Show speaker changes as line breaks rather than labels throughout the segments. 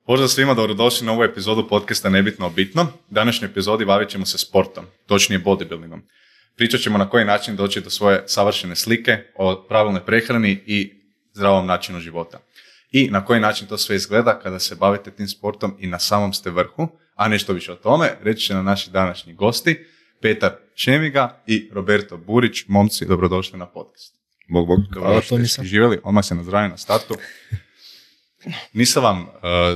Pozdrav svima, dobrodošli na ovu epizodu podcasta Nebitno o bitno. U današnjoj epizodi bavit ćemo se sportom, točnije bodybuildingom. Pričat ćemo na koji način doći do svoje savršene slike, o pravilnoj prehrani i zdravom načinu života. I na koji način to sve izgleda kada se bavite tim sportom i na samom ste vrhu, a nešto više o tome reći će na naši današnji gosti, Petar Šemiga i Roberto Burić. Momci, dobrodošli na podcast.
Bog.
Dobro što ste živjeli, odmah se nazdravim na startu. Nisam vam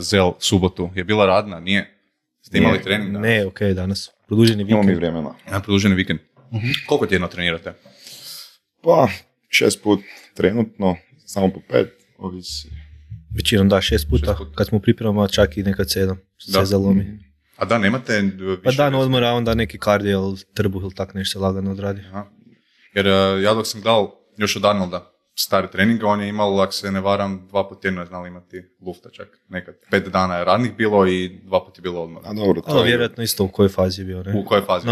zel subotu, je bila radna, nije? Ste imali trening danas?
Ne, ok, danas. Produženi vikend.
Imamo mi vremena.
Produženi vikend. Koliko tjedno trenirate?
Pa, 6 put trenutno, samo po 5, ovisi.
Većinom da, 6 puta. Kad smo pripremama, čak i nekad 7. Se zalomi.
A da, nemate više?
Pa dan odmora, onda neki kardio ili trbuh ili tak nešto se lagano odradi.
Aha. Jer ja dok sam gledal još od Arnolda stari trening, on je imao, ako se ne varam, 2 puta tjedno je znali imati lufta čak. Nekad 5 dana je radnih bilo i 2 puta je bilo odmora.
A dobro, to je...
Vjerojatno isto u kojoj fazi je bio, ne?
U kojoj fazi?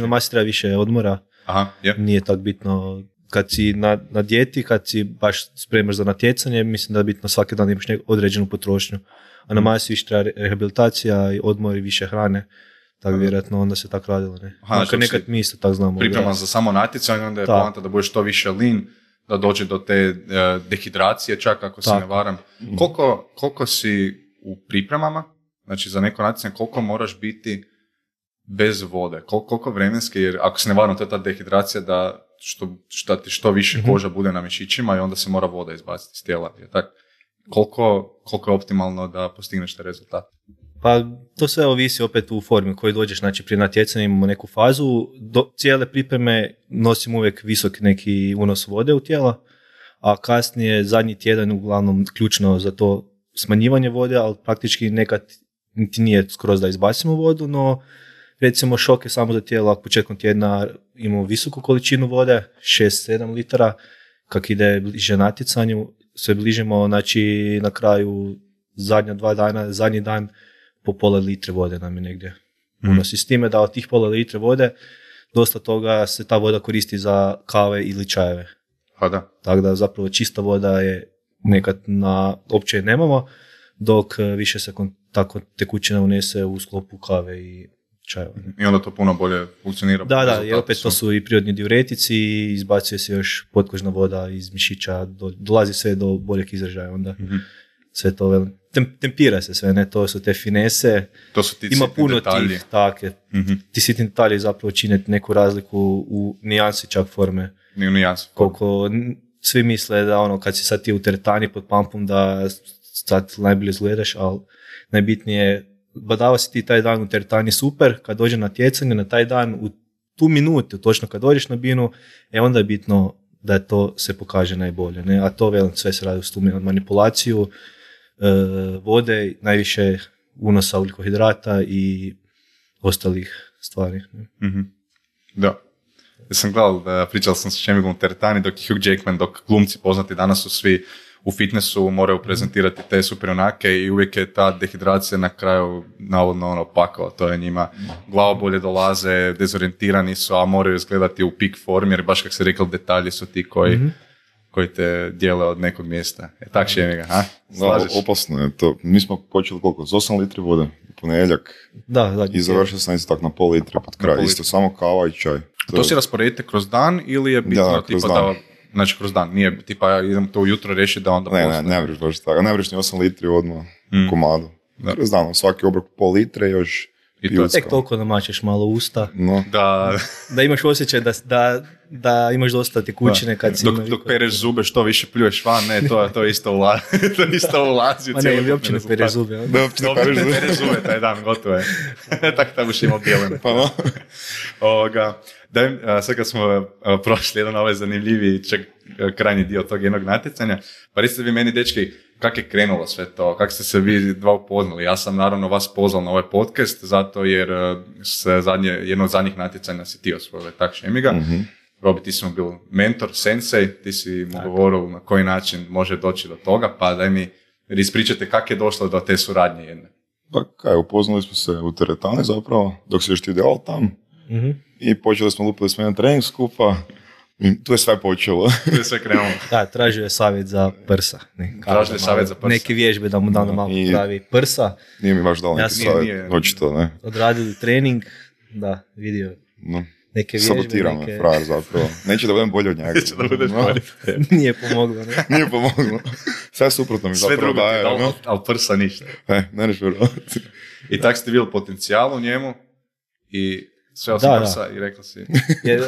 Na masi treba više odmora.
Aha, je.
Nije tak bitno. Kad si na dijeti, kad si baš spremaš za natjecanje, mislim da je bitno svaki dan imaš određenu potrošnju. A na masi više treba rehabilitacija i odmor i više hrane. Tako vjerojatno onda se tako radilo, ne?
Znači,
nekad mi isto tako znamo.
Priprema za samo natjecanje, onda je poanta da budeš što više lean, da dođe do te dehidracije, čak ako se ne varam. Koliko si u pripremama, znači za neko natjecanje, koliko moraš biti bez vode? Koliko vremenski, jer ako se ne varam, to je ta dehidracija da ti što više koža bude na mišićima i onda se mora voda izbaciti iz tijela. Koliko je optimalno da postigneš taj rezultat?
Pa to sve ovisi opet u formi koji dođeš, znači prije natjecanja imamo neku fazu, cijele pripreme nosim uvijek visok neki unos vode u tijela, a kasnije zadnji tjedan uglavnom ključno za to smanjivanje vode, ali praktički nekad niti nije skroz da izbacimo vodu, no recimo šok je samo za tijelo, ako početkom tjedna imamo visoku količinu vode, 6-7 litara, kak ide bliže natjecanju, sve bližimo, znači na kraju zadnja 2 dana, zadnji dan po pola litre vode nam je negdje unosi. S time da od tih pola litre vode dosta toga se ta voda koristi za kave ili čajeve.
Pa da.
Tako da zapravo čista voda je nekad opće nemamo, dok više se tako tekućina unese u sklopu kave i čajeva.
I onda to puno bolje funkcionira.
Da, jer opet to su i prirodni diuretici i izbacuje se još potkožna voda iz mišića, dolazi sve do boljeg izražaja onda. Sve to tempira se sve, ne, to su te finese,
to su ti
ima puno
detalji.
Tih, take, ti sitni detalji zapravo čine neku razliku u nijansi čak forme. Koliko svi misle da kad si sad ti u teretani pod pumpom da sad najbolje izgledaš, ali najbitnije je badava si ti taj dan u teretani super, kad dođe na natjecanje na taj dan u tu minutu, točno kad dođeš na binu, onda je bitno da to se pokaže najbolje, ne? A to sve se radi u stumi od manipulaciju, vode, najviše unosa ugljikohidrata i ostalih stvari.
Da. Ja sam gledal, pričal sam s Šemigom u teretani, dok Hugh Jackman, dok glumci poznati danas su svi u fitnessu, moraju prezentirati te superjunake i uvijek je ta dehidracija na kraju navodno pakao. To je njima glavobolje dolaze, dezorijentirani su, a moraju izgledati u peak formi, jer baš kako se rekao, detalji su ti koji te dijele od nekog mjesta. Tak Šemiga, ha?
Da, opasno je to. Mi smo počeli koliko? Z 8 litri vode u ponedjeljak.
Da.
I završio sam isto tako na pol litre pod kraj. Isto samo kava i čaj.
To si rasporedite kroz dan ili je bitno tipa da... Znači kroz dan, nije tipa idem to ujutro riješiti da onda
postoje. Ne vreš baš tako. Ne vreš ni 8 litri odmah komadu. Kroz dan, svaki obrok pol litre još pijucka.
Tek toliko namačeš malo usta.
No.
Da imaš osjećaj da imaš dosta tekućine kad si...
Dok pereš zube, što više pljuješ van, ne, to isto ulazi.
Ma ne, ili uopće ne pereš zube.
Da, pereš zube taj dan, gotovo je. Tako buš imao bijelene.
Pa no.
Sad kad smo prošli jedan ovaj zanimljiviji krajnji dio tog jednog natjecanja, pa recite vi meni, dečki, kako je krenulo sve to, kako ste se vi dva upoznali? Ja sam naravno vas pozval na ovaj podcast, zato jer jedno od zadnjih natjecanja si ti osvojio, tak Šemiga. Robi, ti si mu bil mentor, sensei, ti si mu govoril na koji način može doći do toga, pa daj mi ispričate kako je došlo do te suradnje jedne.
Pa upoznali smo se u teretani zapravo, dok si još ti delal tam. I počeli smo lupili smo jedan trening skupa, I tu je sve počelo.
Tu je sve krenulo.
Da, tražio je savjet za prsa.
Tražio je savjet za prsa.
Neke vježbe da mu da malo pravi prsa.
Nije mi baš dao neki savjet, očito, ne.
Odradili trening, da, vidio.
No.
Neke vježbe,
sabotiram me, frajer zapravo. Neće da budem bolji od njega.
Neće da budeš bolji.
Nije pomoglo, ne?
Nije pomoglo. Sve suprotno mi zapravo daje.
Sve drugo ti ali prsa ništa.
Ne neš vjerovati.
I tak ste bili potencijal u njemu i sve osim prsa i rekao si...
Jer,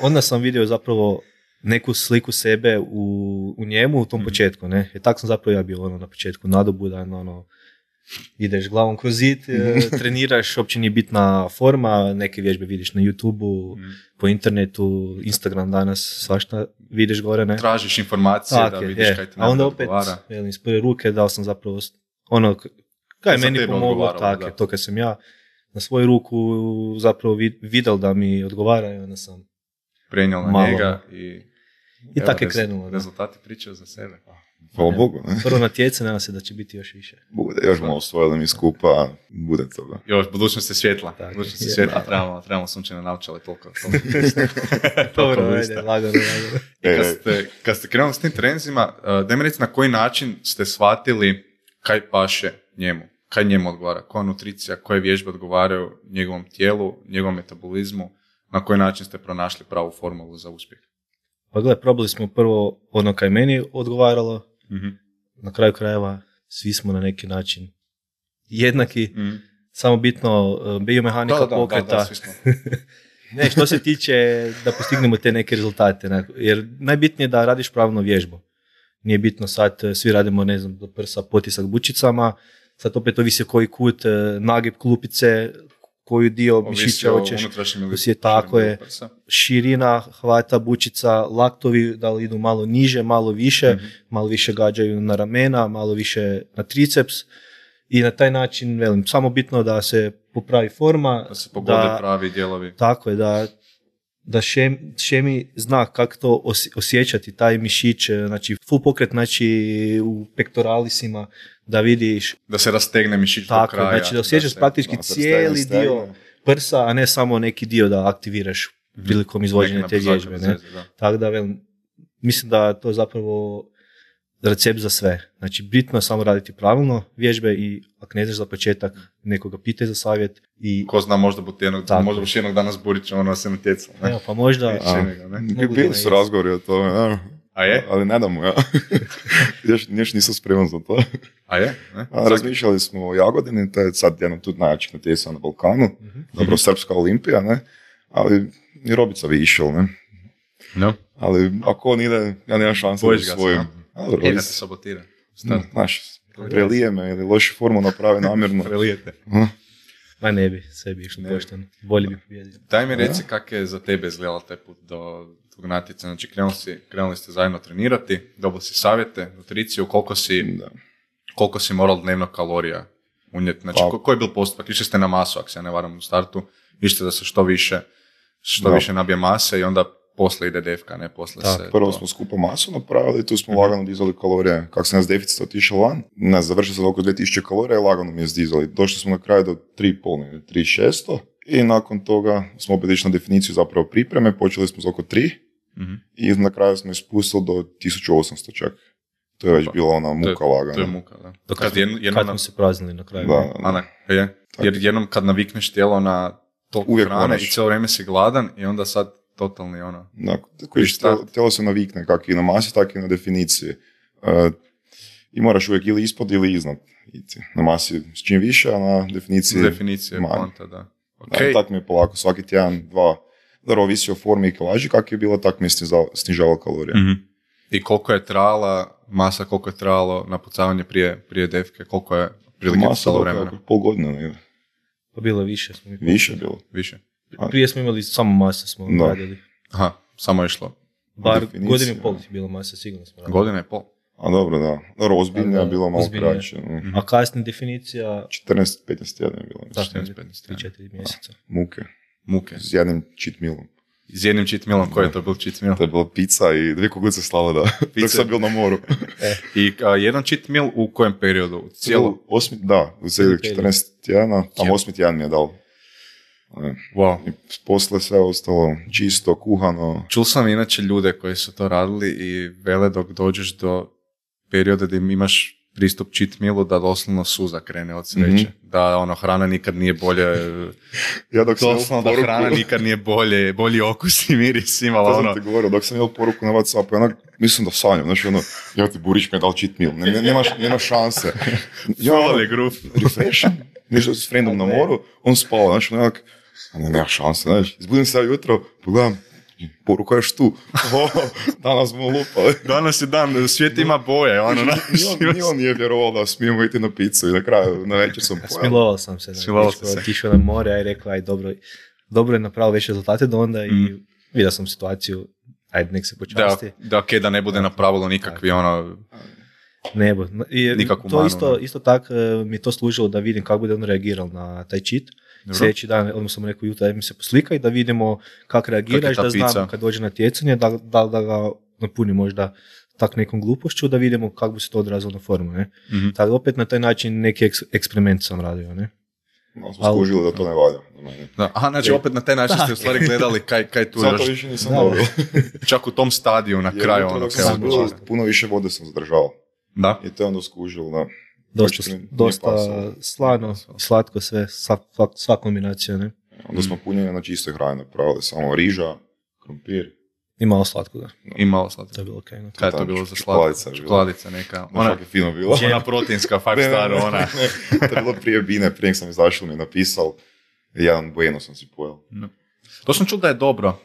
onda sam vidio zapravo neku sliku sebe u njemu u tom početku, ne? Jer tako sam zapravo ja bio na početku nadobudan, ideš glavom kroz zid, treniraš, uopće nije bitna forma, neke vježbe vidiš na YouTube-u, po internetu, Instagram danas, svašta vidiš gore, ne?
Tražiš informacije da vidiš kaj ti
najbolje odgovara. A onda opet, iz prve ruke dao sam zapravo kaj je meni pomoglo, tako je, to kad sam ja na svoju ruku zapravo vidjel da mi odgovara i onda sam
prenijel na njega
i tako je krenulo.
Rezultati pričaju za sebe.
Hvala Bogu. Ne?
Prvo natjece, nadam se da će biti još više.
Bude, još malo osvojili mi skupa, bude toga.
Još, budućnost je svjetla. Budućnost je svjetla, trebamo sunčane naočale toliko.
Dobro, ajde, lagano.
Kad ste krenuli s tim trenzima, daj mi reći na koji način ste shvatili kaj paše njemu, kaj njemu odgovara, koja nutricija, koje vježbe odgovaraju njegovom tijelu, njegovom metabolizmu, na koji način ste pronašli pravu formulu za uspjeh?
Pa gledaj, probali smo prvo ono kaj meni odgovaralo, na kraju krajeva svi smo na neki način jednaki, samo bitno biomehanika pokreta.
Da, svi smo.
Ne, što se tiče da postignemo te neke rezultate, jer najbitnije je da radiš pravilno vježbu. Nije bitno sad, svi radimo, ne znam, do prsa, potisak bučicama, sad opet ovisi koji kut, nagib klupice, koju dio mišića hoćeš, tako je, širina hvata bučica, laktovi, da li idu malo niže, malo više, malo više gađaju na ramena, malo više na triceps i na taj način, velim, samo bitno da se popravi forma,
da se pogode pravi dijelovi.
Tako je, da šemi zna kako to osjećati, taj mišić, znači full pokret, znači u pektoralisima, da vidiš...
Da se rastegne mišić do kraja.
Znači da osjećaš praktički cijeli dio prsa, a ne samo neki dio da aktiviraš prilikom izvođenja te vježbe. Tako da, mislim da to je zapravo recept za sve. Znači, bitno je samo raditi pravilno vježbe i ako ne znaš za početak, nekoga pitaj za savjet. I...
Ko zna, možda buš jednog dana zburić, ono se natjecalo.
Evo, pa možda...
Bili su razgovori o tome,
A je?
Ali ne damo, ja. još nisam spreman za to.
A je?
Razmišljali smo o Jagodini, to je sad jedno tu najjačih natjecanja na Balkanu. Dobro, Srpska Olimpija, ne? Ali i Robica bi išao, ne?
No.
Ali ako on ide, ja nemam šanse da svojim.
Jedna se sabotira.
Znaš, prelije me ili lošu formu napravi namjerno.
Prelijete.
Ma ne bi, sve bi išlo pošteno. Bolje bi pobjedio.
Daj mi reci kako je za tebe izgledalo taj put do tog natjecanja. Znači, krenuli ste zajedno trenirati, dobili si savjete, nutriciju, koliko si moral dnevno kalorija unijeti. Znači, koji je bil postupak? Išli ste na masu, ako se ja ne varam u startu. Išli da se što više nabije mase i onda posle ide defka, ne posle se...
Prvo smo skupo masu napravili, tu smo lagano dizali kalorije. Kako sam nas deficit otišao van, završio sam oko 2000 kalorija i lagano mi je zdizali. Došli smo na kraju do 3,5, 3,600 i nakon toga smo opet išli na definiciju zapravo pripreme, počeli smo za oko 3 i na kraju smo ispustili do 1800 čak. To je već bila ona muka lagana.
To je muka, da.
Kad smo se praznili na kraju.
Jer jednom kad navikneš tijelo na toliko hrane i cijelo vrijeme si gladan i onda sad totalni ono...
Tijelo se navikne kako i na masi, tako i na definiciji. I moraš uvijek ili ispod ili iznad. Na masi s čim više, a na definiciji manje.
Okay.
Tako mi je polako, svaki tjedan, dva, da ovisi o formi i kilaži, kako je bilo, tako mi je snižavalo kalorije.
I koliko je trajala masa, koliko je trajalo napucavanje prije defke, koliko je prilike stalo vremena?
Masa pol godine, ne?
Pa bilo više.
Više bilo.
Više.
Prije smo imali samo masa smo radili.
Aha, samo je išlo.
Bar godinu i pol je bilo masa, sigurno smo radili.
Godina i pol?
A dobro, da. Dobro, ozbiljnija je bilo malo kraće.
A kasnija definicija...
14-15 tjedna je bilo.
3-4 mjeseca.
Muke. S jednim cheat mealom.
S jednim cheat mealom, koji je to bil cheat meal?
To je bila pizza i 2 kuglice slavada. Dok sam bil na moru.
I jedan cheat meal u kojem periodu?
U cijelih 14 tjedana, tam 8. tjedan mi je dal.
Wow.
I posle sve ostalo čisto, kuhano.
Čul sam inače ljude koji su to radili i vele dok dođeš do perioda gdje imaš pristup cheat mealu da doslovno suza krene od sreće. Da hrana nikad nije bolje.
Ja dok sam
doslovno da hrana nikad nije bolji okus i miris imala.
To sam ti govorio, dok sam imao poruku na WhatsAppu, mislim da sanjam, znači ja ti Burić mi je dal cheat meal, nemaš šanse.
Follow group.
Refreshen, nešto s friendom na moru, on spava, znači nema šanse, znači, izbudim se ja jutro, pogledam, poruka još tu, danas smo lupali.
Danas je dan, svijet ima boje,
Ni on nije vjerovao da smijemo iti na picu i na kraju, na večer sam pojel.
Smilovao sam se, otišao na more, a i rekao, dobro je napravio veće rezultate do onda i vidio sam situaciju, nek se počasti.
Da ne bude napravilo nikakvi
Nebo. Isto tako mi je to služilo da vidim kako bude on reagirao na taj cheat. Sljedeći dan, odmah sam rekao jutro, da mi se poslika i da vidimo kako reagiraš, da znam kad dođe na tjecanje, da ga napuni možda tak nekom glupošću, da vidimo kako bi se to odrazilo na formu. Ne? Tako opet na taj način neki eksperiment sam radio. Ne?
No, smo skužili da to ne valja.
Znači opet na taj način ste u stvari gledali kaj tu još.
Zato više nisam dobio.
Čak u tom stadiju na kraju.
Puno više vode sam zadržao.
Da.
I to je onda skužilo, da.
Dosta slano, slatko sve, sva kombinacija, ne?
Onda smo punjenje na čistoj hrani napravili, samo riža, krompir.
I malo slatko, da.
I malo slatko.
To je bilo okej. Okay,
kaj je to bilo za slatko? Čokoladica neka.
Ona je fino bila.
Ona proteinska, 5 star, ona.
To je bilo prije Bine, prije sam izašao mi je napisal, jedan Bueno sam si pojel.
No. To sam čuo da je dobro,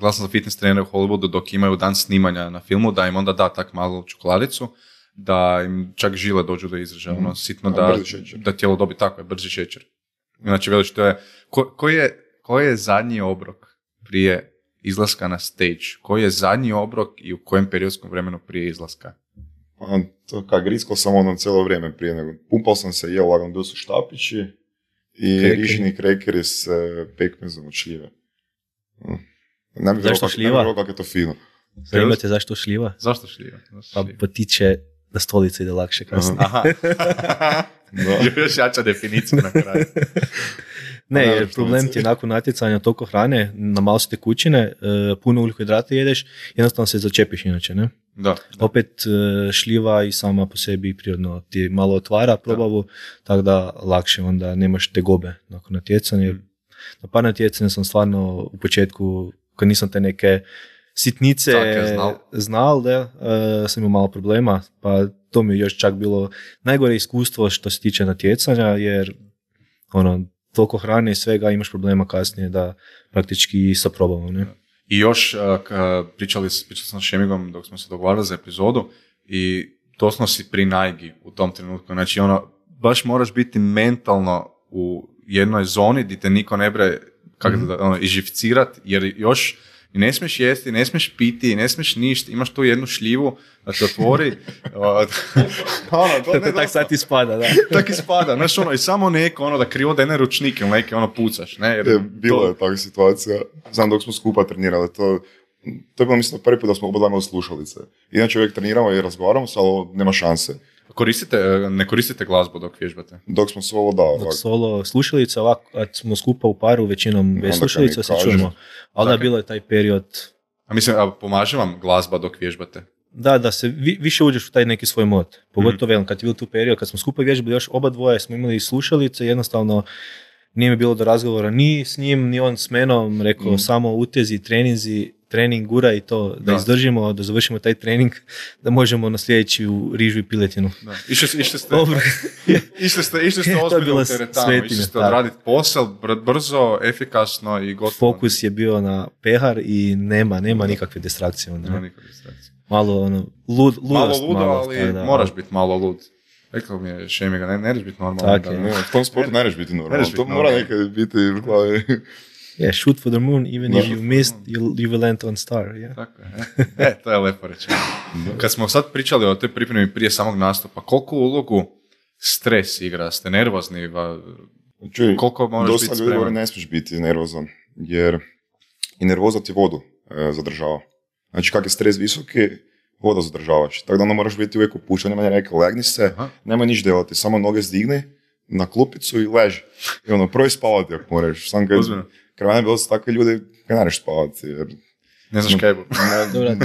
glasam za fitness trenere u Hollywoodu dok imaju dan snimanja na filmu, da im onda da tak malo čokoladicu, da im čak žile dođu do izražaja, sitno da tijelo dobi tako je, brzi šećer. Znači, veliš, to je, koji je zadnji obrok prije izlaska na stage? Koji je zadnji obrok i u kojem periodskom vremenu prije izlaska?
To griskao sam cijelo vrijeme prije nego. Pumpao sam se, jeo lagano, bili su štapići i rižini krekeri s pekmezom od šljive.
Zašto šljiva?
Ne bi kako je to fino.
Zanimate zašto šljiva?
Zašto šljiva?
Pa potiče da stolica ide lakše kasnije.
Aha. Još jača definicija na kraju.
Ne, jer problem ti je nakon natjecanja toliko hrane, na malo se tekućine, puno ugljikohidrata jedeš, jednostavno se začepiš inače, ne?
Da.
Opet šljiva i sama po sebi prirodno ti malo otvara probavu, tako da lakše onda nemaš tegobe nakon natjecanja. Na par natjecanja sam stvarno u početku, kad nisam te neke sitnice znal, sam imao malo problema, pa to mi je još čak bilo najgore iskustvo što se tiče natjecanja, jer toliko hrane i svega imaš problema kasnije da praktički sa probavom. Ne?
I još pričali sam s Šemigom dok smo se dogovarali za epizodu i doslovno si pri najgi u tom trenutku. Znači baš moraš biti mentalno u jednoj zoni gdje te niko ne bre ižificirati, jer još i ne smiješ jesti, ne smiješ piti, ne smiješ ništa, imaš tu jednu šljivu da te otvori.
Tak sad ispada, da.
Tak ispada, znaš i samo neko da krivo dene ručnike ili neke pucaš, ne? Jer
bilo je takva situacija, znam dok smo skupa trenirali, to je bilo mislim prvi put da smo oba imali slušalice. Inače uvijek treniramo i razgovaramo se, ali nema šanse.
Ne koristite glazbu dok vježbate?
Dok smo solo, da.
Dok solo slušalica, ovako, kad smo skupa u paru, većinom bez slušalica se čujemo. Ali da, bilo je taj period...
Pomaže vam glazba dok vježbate?
Da se više uđeš u taj neki svoj mod. Pogotovo kad je bilo tu period, kad smo skupa vježbali, još oba dvoje smo imali slušalice, jednostavno nije mi bilo do razgovora ni s njim, ni on s menom, rekao samo utezi, trening, gura i to, da izdržimo, da završimo taj trening, da možemo na sljedeći u rižu i piletinu.
Išli ste ozbiljno u teretanu, išli ste odraditi posao, brzo, efikasno i gotovo.
Fokus je bio na pehar i nema nikakve distrakcije.
Nema nikakve distrakcije.
Malo ludost.
Malo ludo, ali moraš biti malo lud. Rekao mi je Šemiga, ne reš biti normalan.
U tom sportu ne reš biti normalan, to mora nekad biti u glavi.
Yeah, shoot for the moon, even if you missed, you will land on star. Yeah.
Tako je. To je lepo rečeno. Kad smo sad pričali o toj pripremi prije samog nastupa, koliko ulogu stres igra? Ste nervozni? Koliko moraš biti spreman?
Dosta ljudi ne smiješ biti nervozan, jer i nervoza ti vodu zadržava. Znači, kak je stres visoki, voda zadržavaš. Tako da onda moraš biti uvijek upušten, nema neka legni se, nemoj niš delati, samo noge zdigni, na klupicu i leži. I ono, prvi spavati ako moraš. Sam kad mene bilo su takvi ljudi kad naraš spavati. Jer...
Ne znaš kaj je.
Dobro,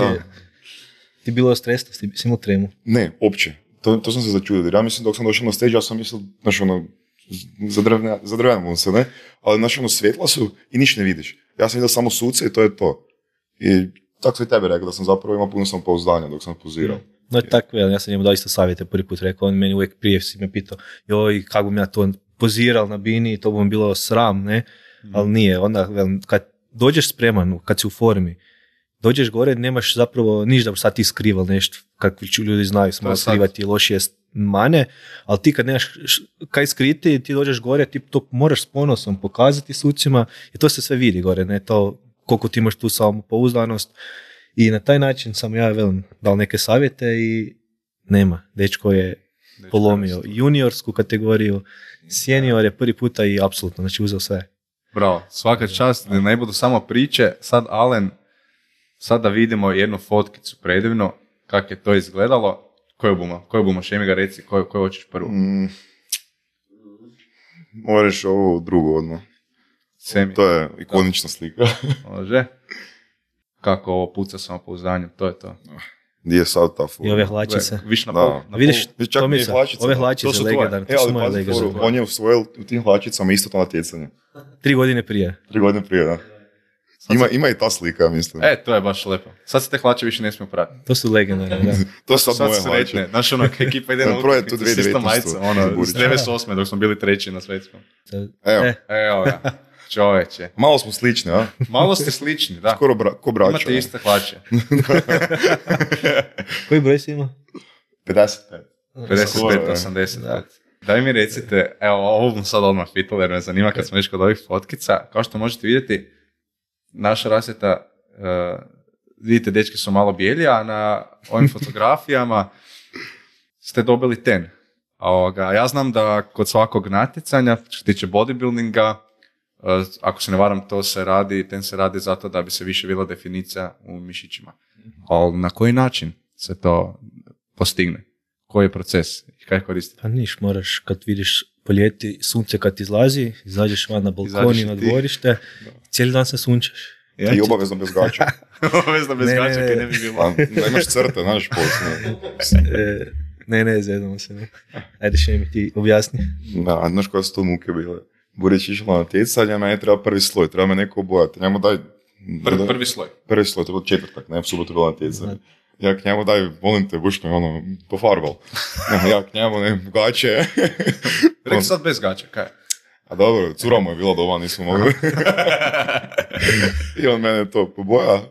ti bilo stresno, si imao tremu?
Ne, uopće. To sam se začudio. Jer ja mislim dok sam došao na stage, ja sam mislio, znaš ono, zadrvenamo se, ne? Ali znaš ono, svjetla su i ništa ne vidiš. Ja sam vidio samo suce i to je to. I tako sam i tebe rekao da sam zapravo imao puno samopouzdanja dok sam pozirao.
No tako, ja sam njemu dao isto savjete prvi put rekao, on meni uvijek prije si me pitao, joj, kako bi ja to poziral na bini, to bi mi bilo sram, ne? Ali nije, onda kad dođeš spreman, kad si u formi, dođeš gore, nemaš zapravo ništa da sad ti skrival nešto, kakvi ljudi znaju, smo skrivati lošije mane, ali ti kad nemaš kaj skriti, ti dođeš gore, ti to moraš s ponosom pokazati sucima i to se sve vidi gore, ne? To koliko ti imaš tu samopouzdanost. I na taj način sam ja dal neke savjete i nema. Dečko je polomio juniorsku kategoriju, senior je prvi puta i apsolutno, znači uzeo sve.
Bravo, svaka čast, ne budu samo priče. Sad Alen, sad da vidimo jednu fotkicu predivno, kako je to izgledalo. Koju bumo, Šemi ga reci, koju hoćeš prvu?
Moraš ovu drugu odmah.
Semi.
To je ikonična slika.
Može. Kako ovo puca samopouzdanjem, to je to.
Gdje je sad ta fora?
I ove hlačice.
Više na pol.
Vidiš,
Tomica,
ove hlačice legendarne, to su moje legendarne.
On je usvojil u tim hlačicama isto to natjecanje.
3 godine prije.
3 godine prije, da. Ima i ta slika, mislim.
To je baš lepo. Sad se te hlače više ne smiju pratiti.
To su legendarne, da.
To su sad moje hlače.
Znaš ono, ekipa ide na utakmicu s istom majicom, ono, s 98. dok smo bili treći na svetskom. Evo ga. Čoveče.
Malo smo slični, a?
Malo ste slični, da.
Skoro ko braća.
Imate iste hlače.
Koji broj si ima?
55.
85. Daj mi recite, evo, ovo bom sad odmah pitala jer me zanima kad smo već kod ovih fotkica. Kao što možete vidjeti, naša rasvjeta, vidite, dečki su malo bijeli, a na ovim fotografijama ste dobili ten. Ja znam da kod svakog natjecanja, što se tiče bodybuildinga, ako se ne varam, ten se radi zato da bi se više vidjela definicija u mišićima. Ali na koji način se to postigne? Koji je proces i kaj koristiti?
Pa moraš kad vidiš po ljeti sunce kad izlazi, izađeš van na balkon i na dvorište, cijeli dan se sunčaš.
I obavezno bez gača.
Obavezno bez gača, kaj ne bi bilo.
Da imaš crte, znaš,
Ne, zedamo se. Ne. Ajde, Šemi, ti objasni.
Da, znaš koje su to muke bile. Burić išla na natjecanje, meni treba prvi sloj, treba me neko obojati. Njemu daj...
Prvi sloj?
Prvi sloj, to je bilo četvrtak, ne, u subotu bilo natjecanje. Ja k njemu daj, volim te, buš me pofarbal. Ja k njemu, gače.
Rekli sad bez gača, kaj?
A dobro, cura mu je bila doma, nismo mogli. I on mene to poboja,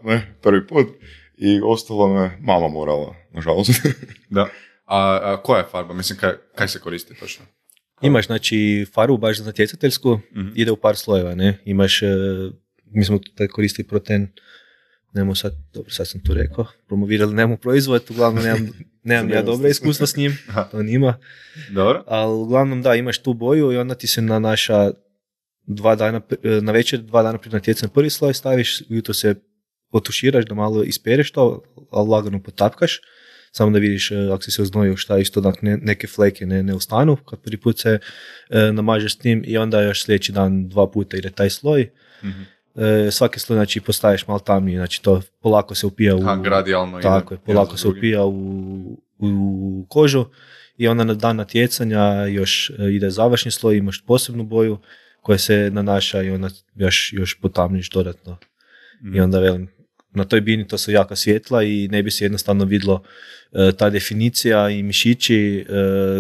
prvi put. I ostalo me mama morala, nažalost.
Da. A koja je farba? Mislim, kaj se koristi točno?
Imaš, znači, farbu baš za natjecateljsku, ide u par slojeva, ne? Imaš, mi smo taj koristili proten, sad sam tu rekao, promovirali nemu proizvod, uglavnom nemam ja dobra iskustva s njim, to nima.
Dobro.
Ali uglavnom da, imaš tu boju i onda ti se na naša 2 dana, na večer 2 dana prije natjecanja prvi sloj staviš, ujutro se otuširaš da malo ispereš to, ali lagano potapkaš, samo da vidiš ako si se oznojio šta isto da neke fleke ne ustanu, kad prvi put se namažeš s tim i onda još sljedeći dan 2 puta ide taj sloj. Mm-hmm. Svaki sloj znači postaješ malo tamniji, znači to polako se upija u...
gradijalno
tako je, polako se upija u kožu i onda na dan natjecanja još ide završni sloj, imaš posebnu boju koja se nanaša i onda još potamniš dodatno. Mm. I onda velim, na toj bini to su jaka svjetla i ne bi se jednostavno vidlo ta definicija i mišići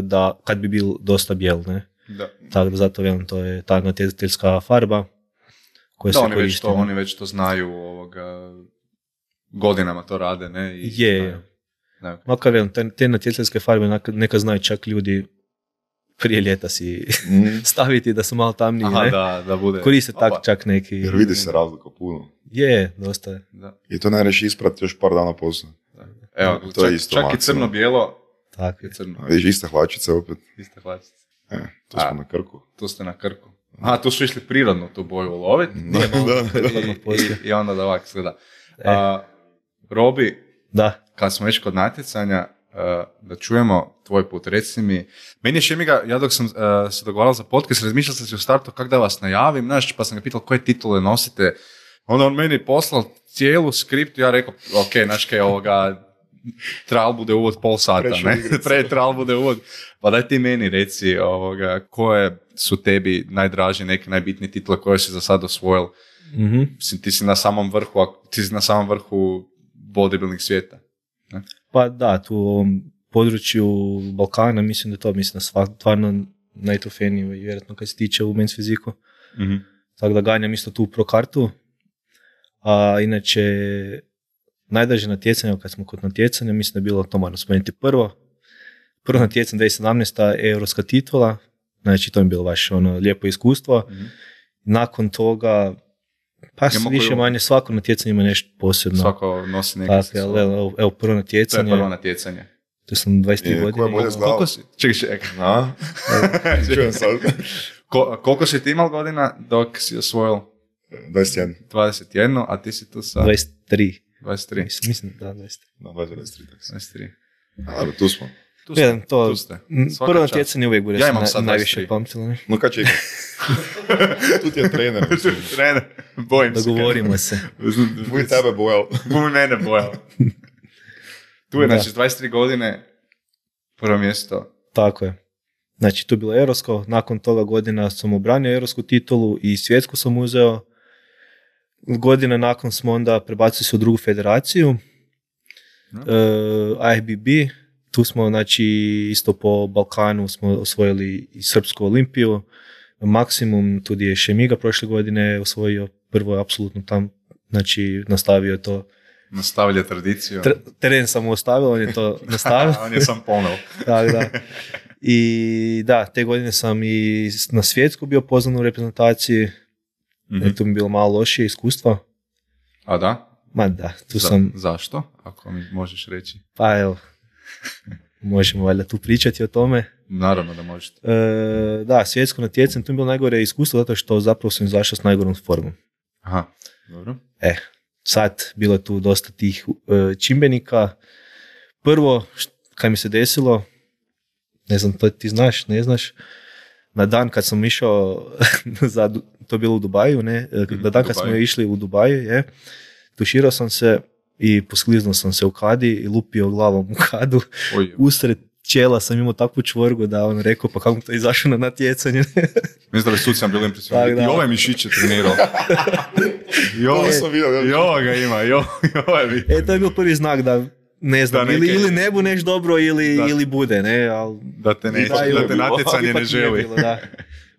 da kad bi bil dosta bijel, ne? Da. Tako da zato velim, to je ta natjecateljska farba koja se koristi.
Oni već to znaju, godinama to rade, ne?
Je. Makar velim, te natjecateljske farbe neka znaju čak ljudi prije ljeta si staviti da su malo tamniji, ne?
Da bude.
Koriste čak neki...
Jer vidi se razlika puno.
Je, dosta je.
Da.
I to ne reši isprati još par dana poslije.
Evo,
to je isto
čak
maksimum.
I crno-bijelo.
Tako je. Crno.
Vidiš, iste hlačice opet.
Iste hlačice.
Tu smo na Krku.
Tu ste na Krku. Tu su išli prirodno tu boju uloviti. I onda da ovak izgleda. Robi,
da.
Kad smo već kod natjecanja, da čujemo tvoj put. Reci mi, meni je Šemiga, ja dok sam se dogovarao za podcast, razmišljao sam se u startu kako da vas najavim, znaš, pa sam ga pitao koje titule nosite. Onda on meni poslao cijelu skriptu, ja rekao, ok, znaš kaj ovoga, trebalo bude uvod pol sata, ne? Trebalo bude uvod. Pa daj ti meni reci koje su tebi najdraže, neke najbitnije titule koje si za sad osvojil.
Mm-hmm.
Ti si na samom vrhu bodybuilding svijeta. Ne?
Pa da, tu u ovom području Balkana mislim da to stvarno najtrofejnije i vjerojatno kad se tiče u men's fiziku.
Mm-hmm.
Tako da ganjam isto tu pro kartu. A inače, najdraže natjecanje, kad smo kod natjecanja, mislim da je bilo to moram spomenuti prvo natjecanje 2017. europska titula, znači to je bilo baš lijepo iskustvo.
Mm-hmm.
Nakon toga, pa više manje svako natjecanje ima nešto posebno.
Svako nosi neke
evo, prvo natjecanje.
To je prvo natjecanje.
To sam 23 godine.
Koliko
si? Čekaj. Koliko si ti imao godina dok si osvojil? 21, a ti si tu sa...
23. Mislim, da, 23.
No, 23.
23.
Tu smo.
Tu ste. Prvo natjecanje uvijek bude najviše pamtilo.
No kad će tu ti je trener.
Trener, bojim se.
Dogovorimo se.
Buj tebe bojao.
Buj mene bojao. Tu je, znači, 23 godine, prvo mjesto.
Tako je. Znači, tu je bilo europsko, nakon toga godina sam obranio europsku titulu i svjetsku sam uzeo. Godine nakon smo onda prebacili se u drugu federaciju, IFBB. Tu smo, znači, isto po Balkanu smo osvojili i Srpsku olimpiju. Maksimum, tu je Šemiga prošle godine osvojio prvo apsolutno tam, znači nastavio to.
Nastavlja tradiciju.
Teren sam mu ostavio, on je to nastavio.
On je sam poneo.
Da. I da, te godine sam i na svjetsku bio pozvan u reprezentaciji. Mm-hmm. Tu mi je bilo malo lošije iskustva.
A da?
Ma da, sam...
Zašto? Ako mi možeš reći.
Pa evo, možemo valjda tu pričati o tome.
Naravno da možete.
Da, svjetsko natjecanje, tu mi je bilo najgore iskustvo zato što zapravo sam izašao s najgorom formom.
Aha, dobro.
Sad bilo je tu dosta tih čimbenika. Prvo, kad mi se desilo, ne znam, to ti znaš, ne znaš, na dan kad sam išao, to je bilo u Dubaju, ne? Na dan kad smo išli u Dubaju, tuširao sam se i poskliznuo sam se u kadi i lupio glavom u kadu. Usred čela sam imao takvu čvorgu da on rekao, pa kako mi to izašao na natjecanje.
Mislim da bi suci sam bili impresionirani. I ovaj mišić je trenirao. I ovo ga ima, i ovo je vidio.
To je bio prvi znak da ne znam, da ili ne bu neš dobro ili bude, ne?
Da te natjecanje ne želi.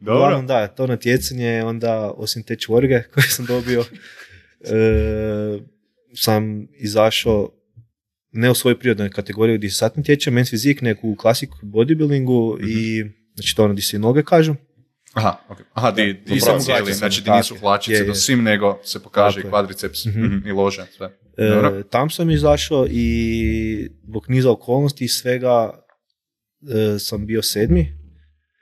Uglavnom da, to natjecanje, onda osim te čvorge koje sam dobio, sam izašao ne u svojoj prirodnoj kategoriji gdje se sad natječem, men's fizik, neku u classic bodybuildingu i znači to ono gdje se noge kažu.
Aha, di sam cijeli, znači di nisu hlačice do svim, nego se pokaže i kvadriceps i lože, sve.
Tam sam izašao i zbog niza okolnosti i svega sam bio 7.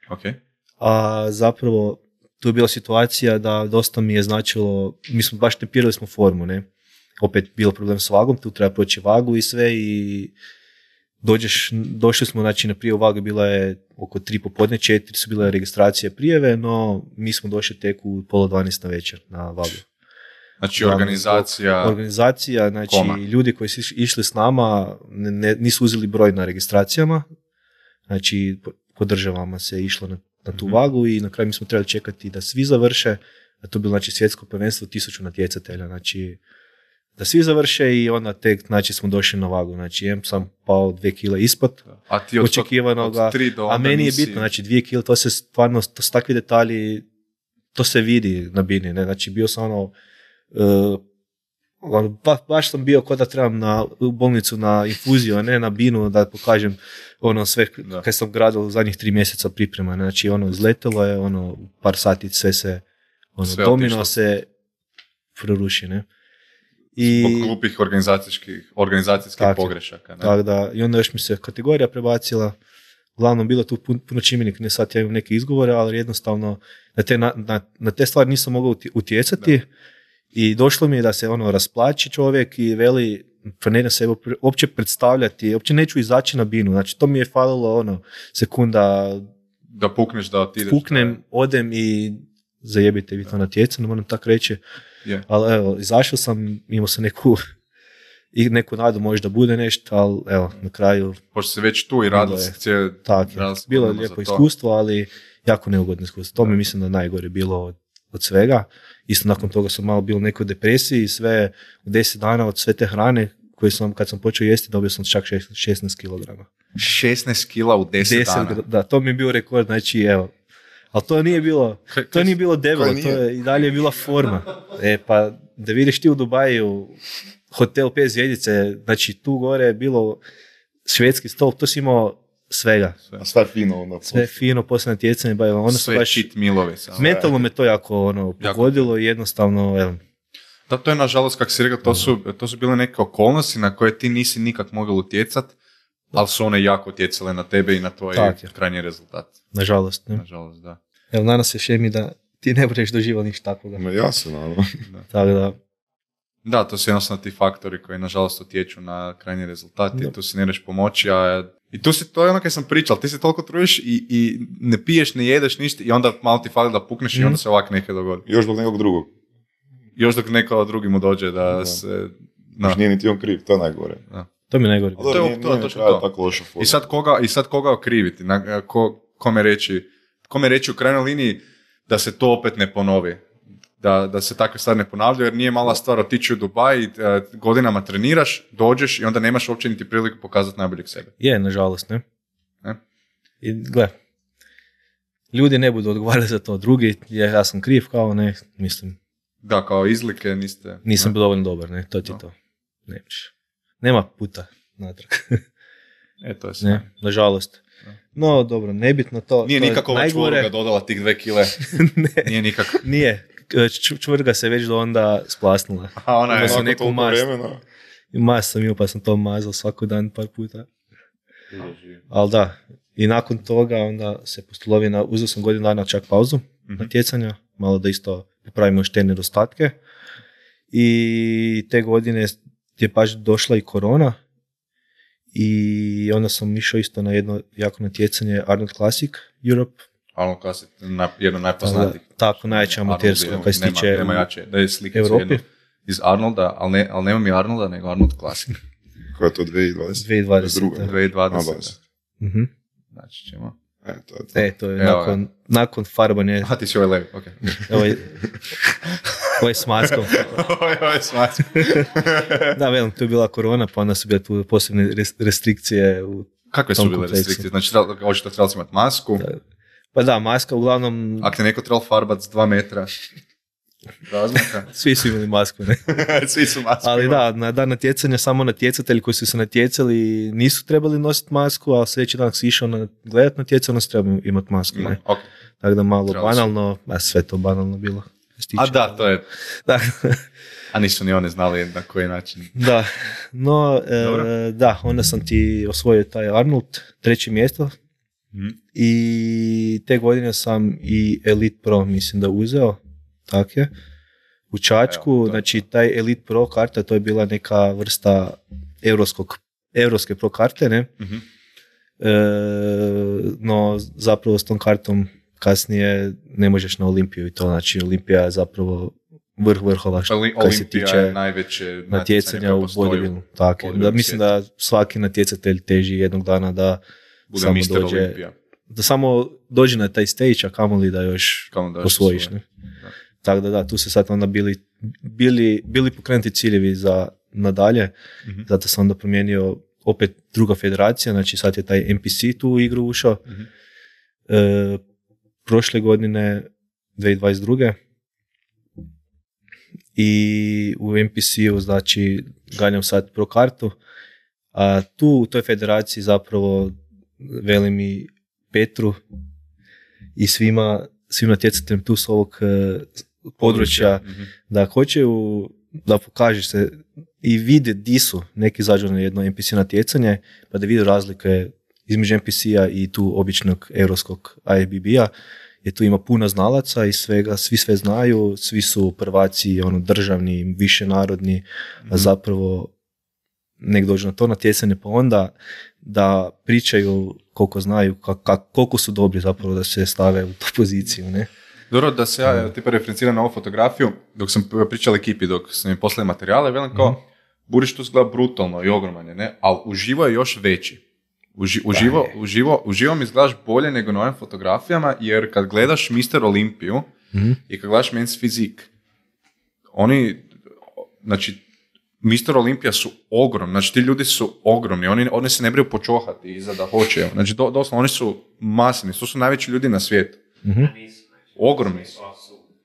Okay.
A zapravo tu je bila situacija da dosta mi je značilo, mi smo baš tempirali smo formu, ne? Opet bilo problem s vagom, tu treba proći vagu i sve i došli smo, znači na prijavu vage bila je oko 3 popodne, 4 su bile registracije prijeve, no mi smo došli tek u 11:30 na večer na vagu.
Znači organizacija,
znači ljudi koji su išli s nama nisu uzeli broj na registracijama, znači po državama se išlo na tu vagu i na kraju mi smo trebali čekati da svi završe, a to je bilo znači svjetsko prvenstvo 1000 natjecatelja, znači da svi završe i onda tek znači smo došli na vagu, znači sam pao 2 kile ispod očekivanoga, a meni je bitno, znači 2 kile, to se stvarno, to su takvi detalji, to se vidi na bini, ne, znači bio sam baš sam bio kao da trebam u bolnicu na infuziju, a ne na binu da pokažem sve kad sam gradil u zadnjih 3 mjeseca priprema, znači izletelo je, par sati sve se domino se proruši, ne.
Zbog glupih organizacijskih pogrešaka. Ne?
Tako da, i onda još mi se kategorija prebacila, uglavnom bilo tu puno čimenika, ne sad ja imam neke izgovore, ali jednostavno na te stvari nisam mogao utjecati i došlo mi je da se rasplači čovjek i veli planiram se uopće predstavljati, uopće neću izaći na binu, znači to mi je falilo sekunda
da pukneš, da ti ideš.
Puknem, odem i zajebite vi to natjecanje, moram tako reći.
Yeah.
Ali evo, izašao sam, imao sam neku nadu možda bude nešto, ali evo, na kraju...
Pošto se već tu i radilo se cijeli...
Bilo je lijepo iskustvo, ali jako neugodno iskustvo. To mi mislim da je najgore bilo od svega. Isto nakon toga sam malo bio u nekoj depresiji i sve u 10 dana od sve te hrane koje sam, kad sam počeo jesti, dobio sam čak 16 kg.
16 kila u 10 dana?
Da, to mi je bio rekord, znači evo. Ali to nije bilo debelo, to je i dalje bila forma. Pa da vidiš ti u Dubaju hotel 5 zvjezdice, znači tu gore je bilo švedski stol, to si imao svega.
Sve fino onda.
Sve fino, poslije natjecanje,
sve baš cheat mealove.
Mentalno me to jako pogodilo i jednostavno,
Da, to je nažalost, kako si rekao, to su bile neke okolnosti na koje ti nisi nikak mogao utjecati, ali su one jako utjecale na tebe i na tvoj krajnji rezultat.
Nažalost, ne?
Nažalost, da.
Evo, danas se šemi da ti ne budeš doživao ništa takvoga.
Ja se naravno.
Tako da.
Da, to su jednostavno ti faktori koji nažalost utječu na krajnji rezultat i tu si ne ideš pomoći, i to je ono kaj sam pričal, ti se toliko trudiš i ne piješ, ne jedeš ništa i onda malo ti fali da pukneš i onda se ovak nekaj dogodi.
Još dok nekog drugog.
Još dok neko drugi mu dođe da se...
Još nije niti on kriv, to je najgore.
Da. To mi je najgore.
To. Tako loša forma.
I sad koga okriviti? Kome reći u krajnjoj liniji da se to opet ne ponovi? Da se takve stvari ne ponavljaju, jer nije mala stvar otići u Dubaj, godinama treniraš, dođeš i onda nemaš uopće niti priliku pokazati najboljeg sebe.
Je, nažalost, ne? I gle, ljudi ne budu odgovarali za to, drugi, ja sam kriv, kao ne, mislim.
Da, kao izlike niste...
Nisam bio dovoljno dobar, ne, to ti to. Nema puta natrag.
To je sve.
Ne, nažalost. No, dobro, nebitno to.
Nije nikakva čvrga dodala tih 2 kile.
Ne,
nije nikako.
Nije. Čvrga se već do onda splasnula.
A ona je
onako toliko vremena.
Mast sam imao pa sam to mazao svaki dan par puta. Ali da, i nakon toga onda se postolovina, uzeo sam godinu dana čak pauzu natjecanja, malo da isto popravimo još te nedostatke. I te godine je baš došla i korona i onda sam išao isto na jedno jako natjecanje Arnold Classic Europe.
Arnold Classic, jedno najpoznatijih.
Tako, najjače amatersko kad se tiče
nema jače, da je slika iz Arnolda, ali nema mi Arnolda, nego Arnold Classic.
Koja je to 2020?
2020.
Znači ćemo...
To je nakon farbanja.
A ti si ovaj levi, okej.
Ovo je s maskom.
Ovo je s maskom.
Da, velim, tu je bila korona, pa onda su bile tu posebne restrikcije u
kakve su bile restrikcije? Znači, očito trebali imati masku?
Pa da, maska uglavnom...
Ako te neko trebalo farbati s 2 metra razmaka?
Svi su imali masku, ne?
Svi su masku.
Ali da, na dan natjecanja samo natjecatelji koji su se natjecali nisu trebali nositi masku, a sljedeći dan si išao gledat natjecanje, onda si trebao imati masku, ne?
Okay.
Tako da malo banalno, sve to banalno bilo.
A da, to je...
Da.
A nisu ni one znali na koji način.
Da, no, da, onda sam ti osvojio taj Arnold, 3. mjesto. I te godine sam i Elite Pro, mislim da uzeo, tako je, u Čačku, znači taj Elite Pro karta, to je bila neka vrsta europske pro karte, ne? No, zapravo s tom kartom kasnije ne možeš na Olimpiju i to, znači Olimpija je zapravo vrhova kad se tiče natjecanja u bodybuildu. Tako, da, mislim da svaki natjecatelj teži jednog dana da
bude
samo
Mr.
dođe,
Olimpija.
Da samo dođe na taj stage, a kamoli da još osvojiš. Ne? Tako da, tu se sad onda bili pokrenuti ciljevi za nadalje, zato sam onda promijenio opet druga federacija, znači sad je taj NPC tu u igru ušao. Prošle godine, 2022. I u NPC-u, znači, ganjam sad pro kartu, a tu u toj federaciji zapravo velim i Petru i svima natjecateljima tu s ovog područja da hoće da pokažeš se i vide di su neki izađu na jedno NPC natjecanje pa da vide razlike između NPC-a i tu običnog europskog IFBB-a, jer tu ima puno znalaca i svega, svi sve znaju, svi su prvaci državni, višenarodni, a zapravo nek dođu na to natjecanje, pa onda da pričaju koliko znaju, koliko su dobri zapravo da se stave u tu poziciju, ne?
Dobro, da se ja tipa referenciram na ovu fotografiju, dok sam pričao ekipi, dok sam im poslali materijale, velim kao, Buriš gleda brutalno i ogroman je, ne? Ali uživo je još veći. Uživo mi izgledaš bolje nego na ovim fotografijama, jer kad gledaš Mr. Olimpiju i kad gledaš Men's Physique, oni, znači, Mr. Olimpija su ogromni, znači ti ljudi su ogromni, oni se ne briju počohati iza da hoće, znači doslovno oni su masivni, to su najveći ljudi na svijetu. Ogromni su.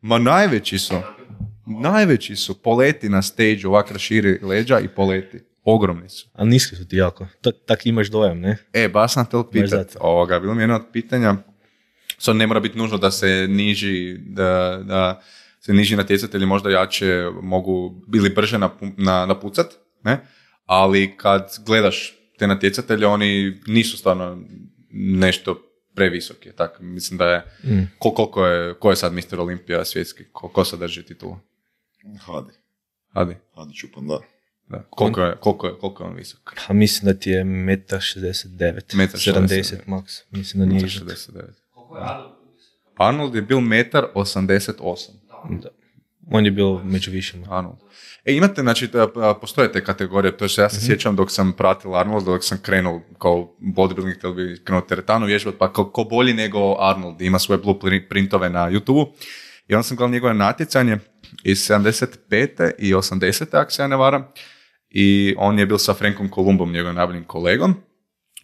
Ma najveći su, poleti na stage, ovak raširi leđa i poleti. Ogromni su.
A niski su ti jako. Tak imaš dojam, ne?
Baš sam te pitat. Bilo mi jedno od pitanja. Sad ne mora biti nužno da se niži, da se niži natjecatelji možda jače mogu bili brže napucat, ne? Ali kad gledaš te natjecatelje, oni nisu stvarno nešto previsoki. Tak, mislim da je... Ko je sad Mr. Olimpija svjetski? Ko sad drži titulu? Hadi
Čupan, da.
Da. Koliko je on visok?
Pa mislim da ti je 1,69 m, 70 max. Mislim da nije
69. Koliko je Arnold? Arnold je bil 1,88 m.
Da. On je bio među višima.
Arnold. Imate, znači, postoje te kategorije, to je što ja se sjećam dok sam pratila Arnold, dok sam krenuo kao bodybuilding, htio bi krenuo teretanu vježbati, pa ko bolji nego Arnold, ima svoje blueprintove na YouTube-u. I onda sam gledao njegove natjecanje iz 75. i 80. ako se ja ne varam. I on je bil sa Frankom Columbom, njegovim najboljim kolegom.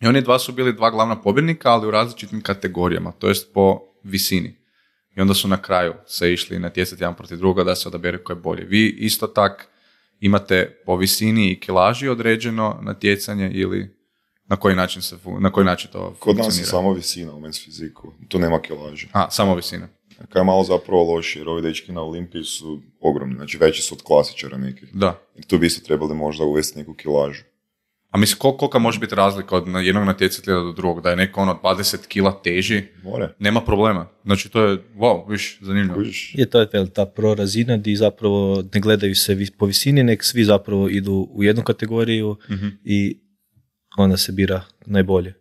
I oni su bili dva glavna pobjednika, ali u različitim kategorijama, to jest po visini. I onda su na kraju se išli natjecati jedan protiv druga da se odabere ko je bolji. Vi isto tak imate po visini i kilaži određeno natjecanje ili na koji način to funkcionira?
Kod nas je samo visina u Men's Physique, tu nema kilaži.
Samo visina.
Kaj je malo zapravo loši, jer ovi dečki na Olimpiji su ogromni, znači veći su od klasičara nekih.
Da.
I tu bi isto trebali možda uvesti neku kilažu.
A mislim, kolika može biti razlika od jednog natjecatelja do drugog? Da je neko 20 kila teži, nema problema. Znači to je, viš, zanimljivo.
Je to ta pro razina gdje zapravo ne gledaju se po visini, nek svi zapravo idu u jednu kategoriju i onda se bira najbolje.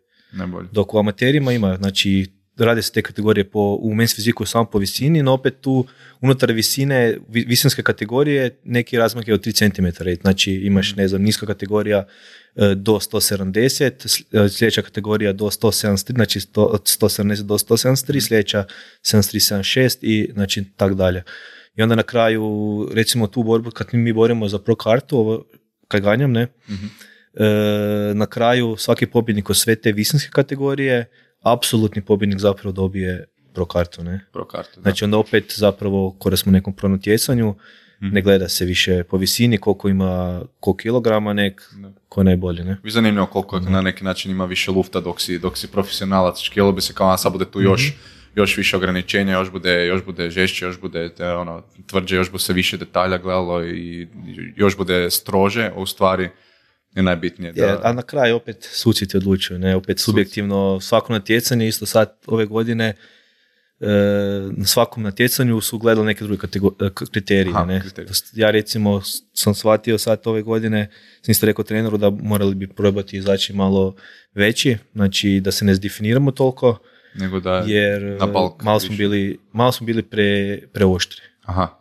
Dok u amaterima ima, znači, rade se te kategorije u Men's Physique samo po visini, no opet tu unutar visine, visinske kategorije, neki razmak je od 3 cm. Znači imaš, ne znam, niska kategorija do 170, sljedeća kategorija do 173, znači od 170 do 173, sljedeća 73-76 i znači tak dalje. I onda na kraju, recimo tu borbu, kad mi borimo za pro kartu, kad ganjam, ne, na kraju svaki pobjednik od sve te visinske kategorije, apsolutni pobjednik zapravo dobije pro kartu, ne?
Pro kartu, da.
Znači onda opet zapravo, kada smo u nekom pro natjecanju, ne gleda se više po visini, koliko ima, koliko kilograma ko je najbolje, ne?
Vi zanimljivo koliko na neki način ima više lufta dok si profesionalac, škijelo bi se kao sad bude tu još više ograničenja, još bude žešće, još bude tvrđe, još bude se više detalja gledalo i još bude strože, u stvari je najbitnije.
A na kraju opet suci ti odlučuju, ne? Opet subjektivno svako natjecanje, isto sad ove godine na svakom natjecanju su gledali neke druge kriterije. Ja recimo sam shvatio sad ove godine, sam isto rekao treneru da morali bi probati izaći malo veći, znači da se ne zdefiniramo toliko,
nego da
jer malo smo bili preoštri.
Aha.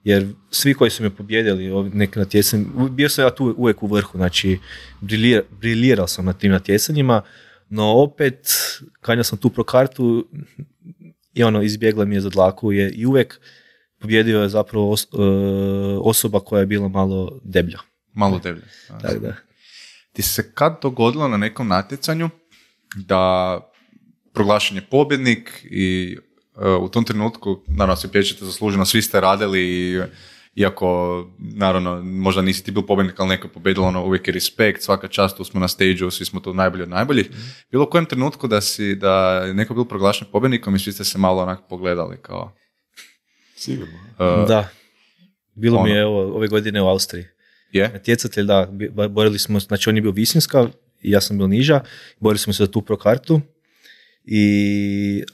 Jer svi koji su me pobjedili neke natjecanje, bio sam ja tu uvijek u vrhu, znači briljirao sam na tim natjecanjima, no opet kad sam tu pro kartu i izbjegla mi je za dlaku i uvijek pobjedio je zapravo osoba koja je bila malo deblja.
Malo deblja.
Tak, da.
Ti se kad dogodilo na nekom natjecanju da proglašen je pobjednik i u tom trenutku, naravno se pječete zasluženo, svi ste radili, iako naravno možda nisi ti bil pobjednik, ali neko je pobjedilo, uvijek je respekt, svaka čast, tu smo na stage-u, svi smo tu najbolji od najboljih. Bilo u kojem trenutku da je neko bil proglašen pobjednikom i svi ste se malo onako pogledali kao...
Sigurno.
Da, bilo mi je ove godine u Austriji. Natjecatelj, da, borili smo, znači on je bio visinska i ja sam bil niža, borili smo se za tu pro kartu.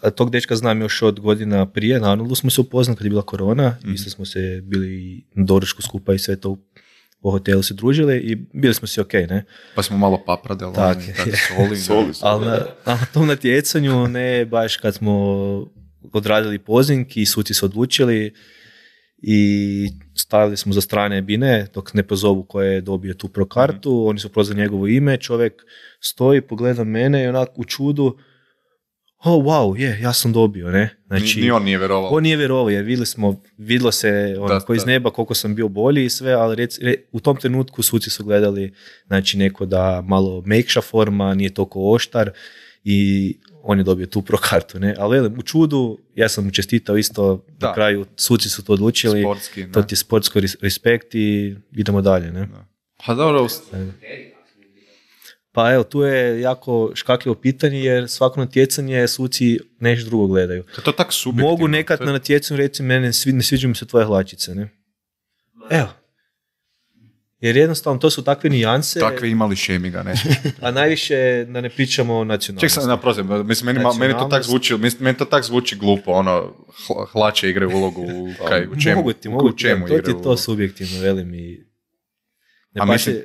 A tog dečka znam još od godina prije, na Arnoldu smo se upoznali kad je bila korona, isto smo se bili na doručku skupa i sve to po hotelu se družili i bili smo si okej, ne?
Pa smo malo papradeli,
soli.
Ali na tom natjecanju, ne baš kad smo odradili pozing i suci se odlučili i stavili smo za strane bine dok ne pozovu ko je dobio tu pro kartu, oni su prozvali njegovo ime, čovjek stoji, pogleda mene i onak u čudu, ja sam dobio, ne? Znači,
ni on nije vjerovao.
On nije vjerovao, jer vidjelo se onako iz neba koliko sam bio bolji i sve, ali u tom trenutku suci su gledali, znači, neko da malo mekša forma, nije toliko oštar i on je dobio tu pro kartu, ne? Ali velim, u čudu, ja sam mu čestitao isto, na kraju suci su to odlučili, sportski, to ti je sportsko respekt i idemo dalje, ne? Da.
Pa dobro.
Pa evo, tu je jako škakljivo pitanje, jer svako natjecanje suci nešto drugo gledaju.
To tak subjektivno.
Mogu nekad na natjecanju reći, ne sviđaju mi se tvoje hlačice, ne? Evo. Jer jednostavno to su takve nijanse.
Takve imali šemiga, ne?
A najviše da ne pričamo o nacionalnosti.
Ček sam, naprozim, mislim, meni to tak zvuči glupo, ono, hlače igraju ulogu u čemu?
Mogu ti, to ti je to subjektivno, velim i...
A mislim,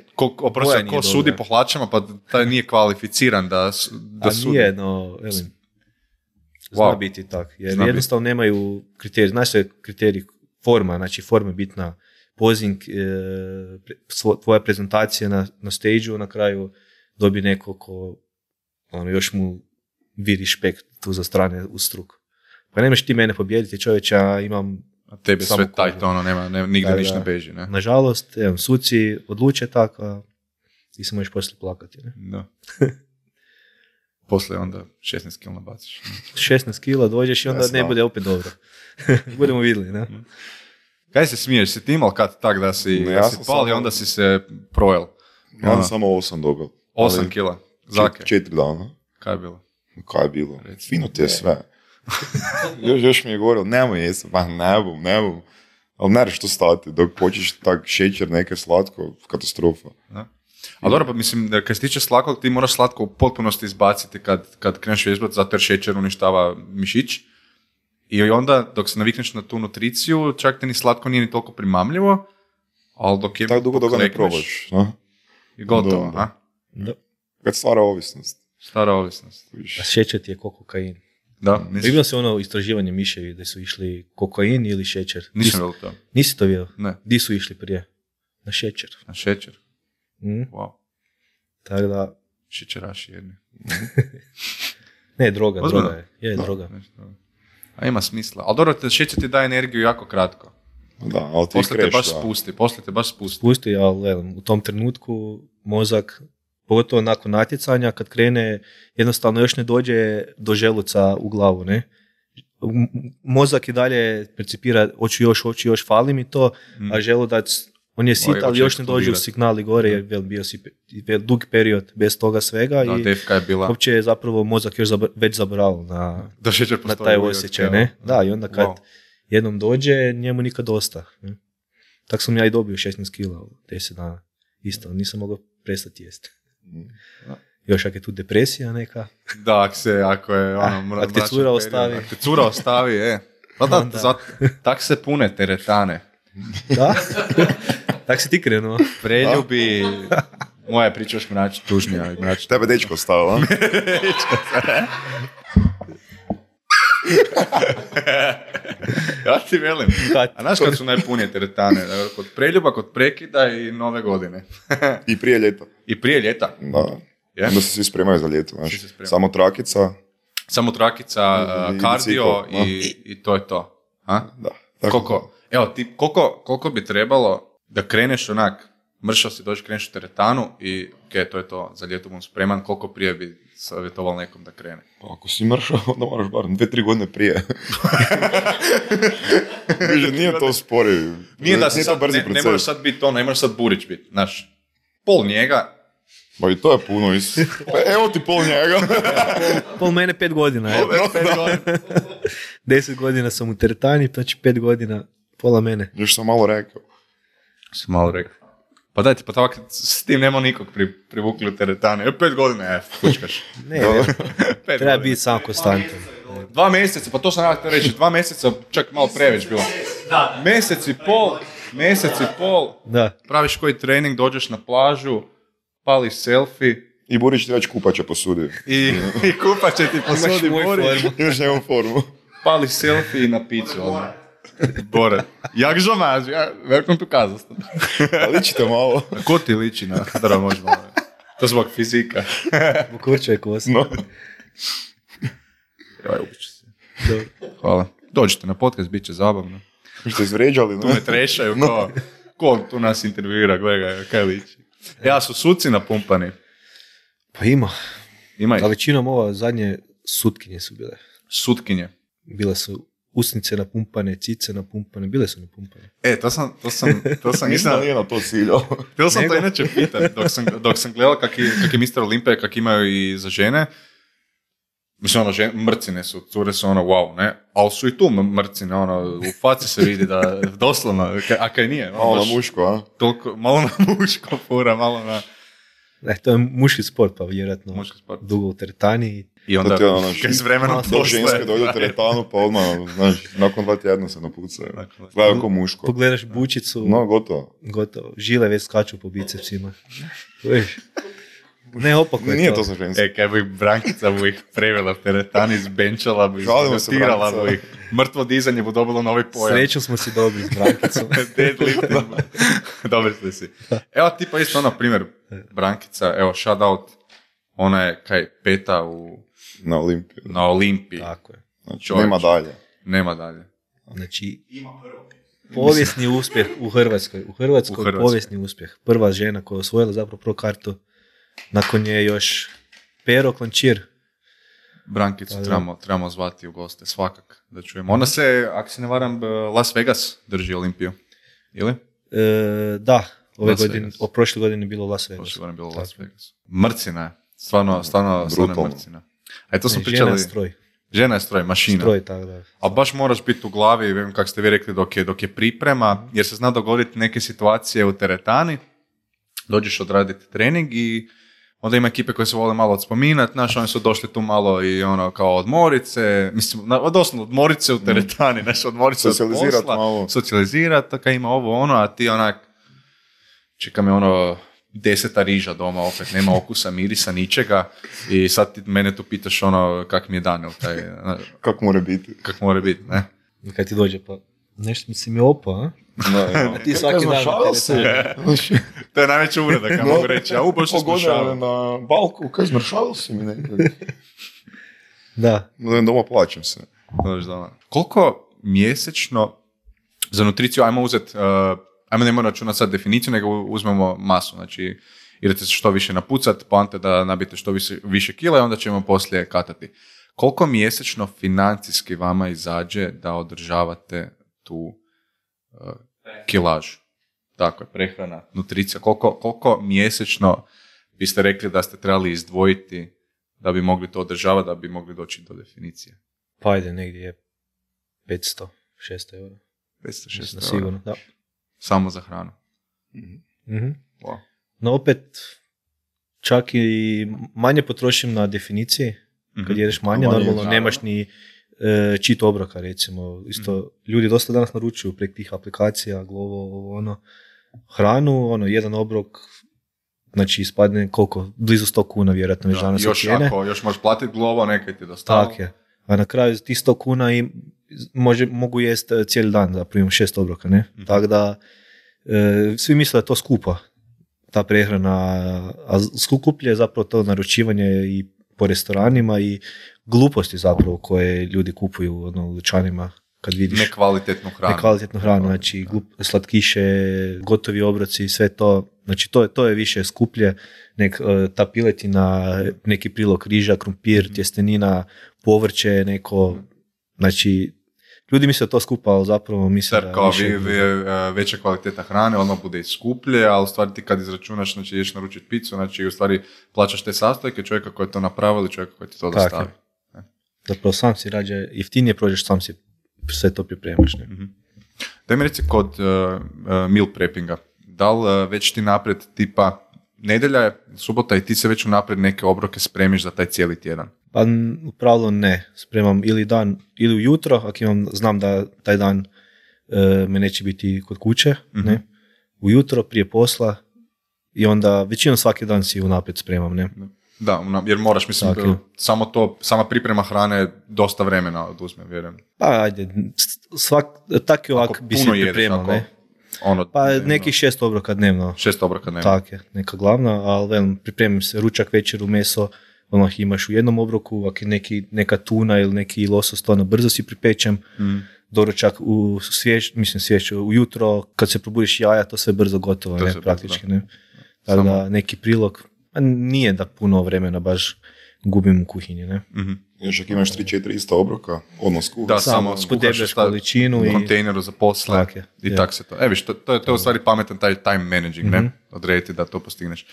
ko sudi po hlačama, pa taj nije kvalificiran da sudi. A
nije, no, velim, zna biti tak, jer jednostavno nemaju kriterij. Znaš što je kriterij? Forma, znači forma je bitna, pozing, tvoja prezentacija na stage-u, na kraju dobi neko ko još mu vidi špekt tu za strane u struku. Pa nemaš ti mene pobijediti, čovječa, imam
a tebe sve tajto, nema nigdje ništa ne beži, ne?
Nažalost, suci odluče tako, a ti se možeš poslije plakati, ne?
Da. Poslije onda 16 kila nabaciš.
16 kila dođeš i onda ne bude opet dobro. Budemo vidjeli, ne?
Kaj se smiješ? Si ti imao kad tak da si pali, onda si se projel?
Ja sam samo 8 dobil.
8 kila? Zake?
4 dana.
Kaj je bilo?
Kaj je bilo? Fino ti je sve. još mi je govorilo, nemoj jesam, pa ne bom. Ali ne što stati, dok počeš tak šećer, neke slatko, katastrofa.
Da. Ali dobro, pa mislim, da kad se tiče slatkog, ti moraš slatko u potpunosti izbaciti kad kreneš vježbat, zato jer šećer uništava mišić. I onda, dok se navikneš na tu nutriciju, čak te ni slatko nije ni toliko primamljivo, ali dok je...
Tako dugo dok ne probaš, no?
I gotovo, a?
Da. Kad stvara ovisnost.
A šećer ti je ko kokain.
Da,
vidio se ono istraživanje miševi da su išli kokain ili šećer.
Nisam vidio to.
Nisi to vidio?
Ne.
Di su išli prije? Na šećer.
Na šećer? Wow.
Tako da...
Šećeraši jedni.
Ne, droga je. Droga.
A ima smisla. Ali dobro, šećer ti daje energiju jako kratko.
Da, ali ti
poslije te baš spusti.
Spusti, ali u tom trenutku mozak, pogotovo nakon natjecanja, kad krene, jednostavno još ne dođe do želuca u glavu, ne? Mozak i dalje percipira, hoću još, fali mi to, a želudac, on je sit, ali još ne dođe u signali gore, jer bio si dug period bez toga svega i uopće je zapravo mozak još već zaboravio na taj osjećaj, ne? Da, i onda kad jednom dođe, njemu nikad dosta. Ne? Tako sam ja i dobio 16 kila u 10 dana. Isto, nisam mogao prestati jesti. Još ako je tu depresija neka.
Da, ako je ono...
Ako te cura ostavi.
Ako te cura ostavi, Pa da. Tak se pune teretane.
Da? Tak si ti krenuo.
Preljubi... Moja priča još tužnija.
Tebe dečko stavila.
Ja ti velim. A znaš kad su najpunije teretane? Kod preljuba, kod prekida i nove godine.
I prije ljeta. Da.
Yeah.
Onda se svi spremaju za ljeto. Samo trakica,
kardio i to je to.
Da.
Koliko bi trebalo da kreneš onak, mršao si dođi, kreneš u teretanu i to je to, za ljeto bom spreman, koliko prije bi savjetovalo nekom da krene?
Pa ako si mršao, onda moraš bar 2-3 godine prije. Nije to spori.
Nije to brzi proces. Ne moraš sad biti ne moraš sad Burić biti, znaš, pol njega.
Pa i to je puno, evo ti pol njega.
Pol mene 5 godina. 10 godina sam u teretani, znači 5 godina, pola mene.
Još sam malo rekao.
Pa daj ti, pa tako s tim nema nikog privukli u teretane. 5 godina, fučkaš.
Ne, treba biti samo konstantan.
2 mjeseca, pa to sam ja htio reći, 2 mjeseca, čak malo preveć bilo. Mjesec i pol, mjesec i pol, praviš koji trening, dođeš na plažu, pališ selfie.
I Burić ti već kupače posudi.
I kupače ti posudi Burić.
Imaš nekom formu.
Pališ selfie i na picu. Bore, jak žomaž, welcome to Kazahstan.
Ličite malo.
Ko ti liči na Hadara možemo? To zbog fizika.
U kurčoj kosi.
No.
Joj, ubiću se. Hvala. Dođite na podcast, bit će zabavno.
Što izvređali,
tu me trešaju, ko tu nas intervjuira, gledaj, kaj liči. Ja su suci napumpani.
Pa ima.
Ima ih.
A većinom ova zadnje sutkinje su bile.
Sutkinje?
Bile su usnice napumpane, cice napumpane, bile su napumpane.
To sam
nisam nije na to ciljao.
Htio sam to inače pitati, dok sam gledao kak je Mr. Olympia, kak imaju i za žene. Mislim, mrcine su, cure su wow, ne? Ali su i tu mrcine, u faci se vidi da doslovno, a kaj nije?
Malo na muško, a?
Toliko, malo na muško, fura, malo na...
To je muški sport, pa vjerojatno dugo u teretani.
I onda, kaj s vremenom
to ženske dođu u teretanu, pa odmah, znaš, nakon 2 tjedna se napucaju. Gledaju ko muško.
Pogledaš bučicu.
No, gotovo.
Žile već skaču po bicepsima. Ne, opako je
nije to za ženske.
Kaj bi Brankica bu ih prevela u teretani, zbenčala bu ih, tirala bu ih. Mrtvo dizanje bu dobilo novi pojam.
Srećom smo si dobri s Brankicom.
Deadlifting. Dobri ste si. Evo tipa isto primjer Brankica, evo shout out, ona je kaj 5. Na Olimpiji.
Tako je.
Znači, nema dalje.
Znači, povijesni uspjeh u Hrvatskoj. U Hrvatskoj povijesni uspjeh. Prva žena koja je osvojila zapravo pro kartu. Nakon nje još Pero Klančir.
Brankicu trebamo zvati u goste, svakak da čujemo. Ona se, ako se ne varam, Las Vegas drži Olimpiju, ili?
Da, prošle godine je bilo Las Vegas.
Prošle godine je bilo Las Vegas. Mrcina je, stvarno mrcina. A to smo pričali... Žena je stroj, mašina.
Stroj, tako da.
A baš moraš biti u glavi, vem kako ste vi rekli, dok je priprema, jer se zna dogoditi neke situacije u teretani, dođeš odraditi trening i onda ima ekipe koje se vole malo odspominati, znaš, oni su došli tu malo i kao odmorice, mislim, doslovno odmorice u teretani, znaš, odmorice od posla, socijalizirati, tako ima ovo, a ti onak, čeka me 10 riža doma, opet nema okusa, mirisa, ničega i sad ti mene tu pitaš kak mi je dan, taj...
Kako
mora biti, ne?
I kad ti dođe, pa nešto mi si mi opa, a?
No.
Ti svaki dan
to je najveća uvreda, kada mogu reći. Baš se smršavao.
Na balku, kaj smršavao si mi nekad.
Da.
Doma plaćam se.
Koliko mjesečno za nutriciju, ajmo ne moramo računati sad definiciju, nego uzmemo masu, znači idete se što više napucati, poanta da nabijete što više kila i onda ćemo poslije katati. Koliko mjesečno financijski vama izađe da održavate tu kilažu? Tako je, prehrana, nutricija. Koliko mjesečno biste rekli da ste trebali izdvojiti da bi mogli to održavati, da bi mogli doći do definicije?
Pa ajde, negdje je 500-600 eura.
500-600
sigurno, da.
Samo za hranu.
Mm-hmm. Wow. No opet, čak i manje potrošim na definiciji. Kad jedeš manje, normalno nemaš ni cheat obroka, recimo. Isto, ljudi dosta danas naručuju prek tih aplikacija, Glovo, hranu, jedan obrok, znači ispadne koliko, blizu 100 kuna vjerojatno već danas cijene.
Još možeš platiti Glovo, nekaj ti dostavlja.
Tako je. A na kraju tih 100 kuna i mogu jest cijeli dan, da primim 6 obroka, ne? Mm-hmm. Tako da, svi misle da je to skupa, ta prehrana, a skuplje je zapravo to naručivanje i po restoranima i gluposti zapravo koje ljudi kupuju u dućanima kad vidiš
nekvalitetnu hranu,
znači slatkiše, gotovi obroci, sve to, znači to je više skuplje nek ta piletina, neki prilog riža, krumpir, tjestenina, povrće, neko, znači ljudi misle da to skupa, ali zapravo misle da
kao veća kvaliteta hrane, odmah bude i skuplje, ali u stvari ti kad izračunaš, znači ideš naručiti picu, znači u stvari plaćaš te sastojke čovjeka koji je to napravio ili čovjeka koji ti to dostavi.
Zapravo sam si rađe, jeftinije prođeš, sam si sve to pripremaš. Ne?
Mm-hmm. Daj mi reci kod meal preppinga, da li već ti napred tipa nedjelja je, subota i ti se već unaprijed neke obroke spremiš za taj cijeli tjedan?
Pa u pravilu ne, spremam ili ujutro, ako znam da taj dan me neće biti kod kuće, ne? Ujutro, prije posla i onda većinom svaki dan si unaprijed spremam, ne?
Da, jer moraš, mislim, sama priprema hrane dosta vremena oduzme, vjerujem.
Pa ajde, tak i ovak bi si pripremao, ne? Pa nekih 6 obroka dnevno.
6 obroka dnevno.
Tak je, neka glavna, ali pripremim se ručak, večeru, meso, imaš u jednom obroku, ako je neka tuna ili neki losos, to brzo si pripečem. Doručak ujutro, kad se probudiš jaja, to sve brzo gotovo, ne, praktički, ne. Tako da neki prilog, nije da puno vremena baš gubim u kuhinji, ne.
Još ako imaš 3-4 ista obroka, skuhaš.
Da, samo
skuhaš količinu
u kontejneru za posle i tak se to. Viš, to je u stvari pametan taj time managing, ne? Odrediti da to postigneš.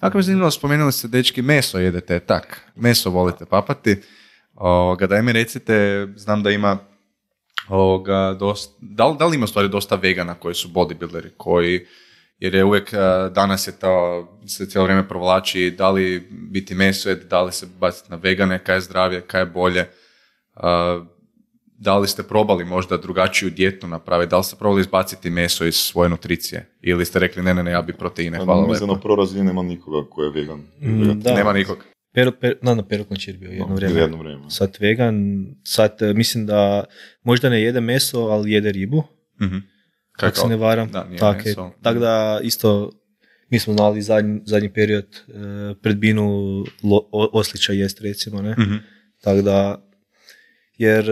Ako mi zanimljivo, spomenuli ste, dečki, meso jedete, tak, meso volite papati. Daj mi recite, znam da ima da li ima u stvari dosta vegana koji su bodybuilderi, jer je uvijek danas je to, se cijelo vrijeme provlači da li biti meso, da li se baciti na vegane, kaj je zdravije, kaj je bolje. Da li ste probali možda drugačiju dijetu napraviti, da li ste probali izbaciti meso iz svoje nutricije ili ste rekli ne, ja bi proteine, hvala lepo.
Mislim, na prorazini nema nikoga ko je vegan.
Nema nikog.
Pero Končir bio jedno vrijeme. Sad vegan, mislim da možda ne jede meso, ali jede ribu. Kako se ne varam. Tako da isto mi smo znali zadnji period pred binu oslića jest, recimo, ne? Tako da, jer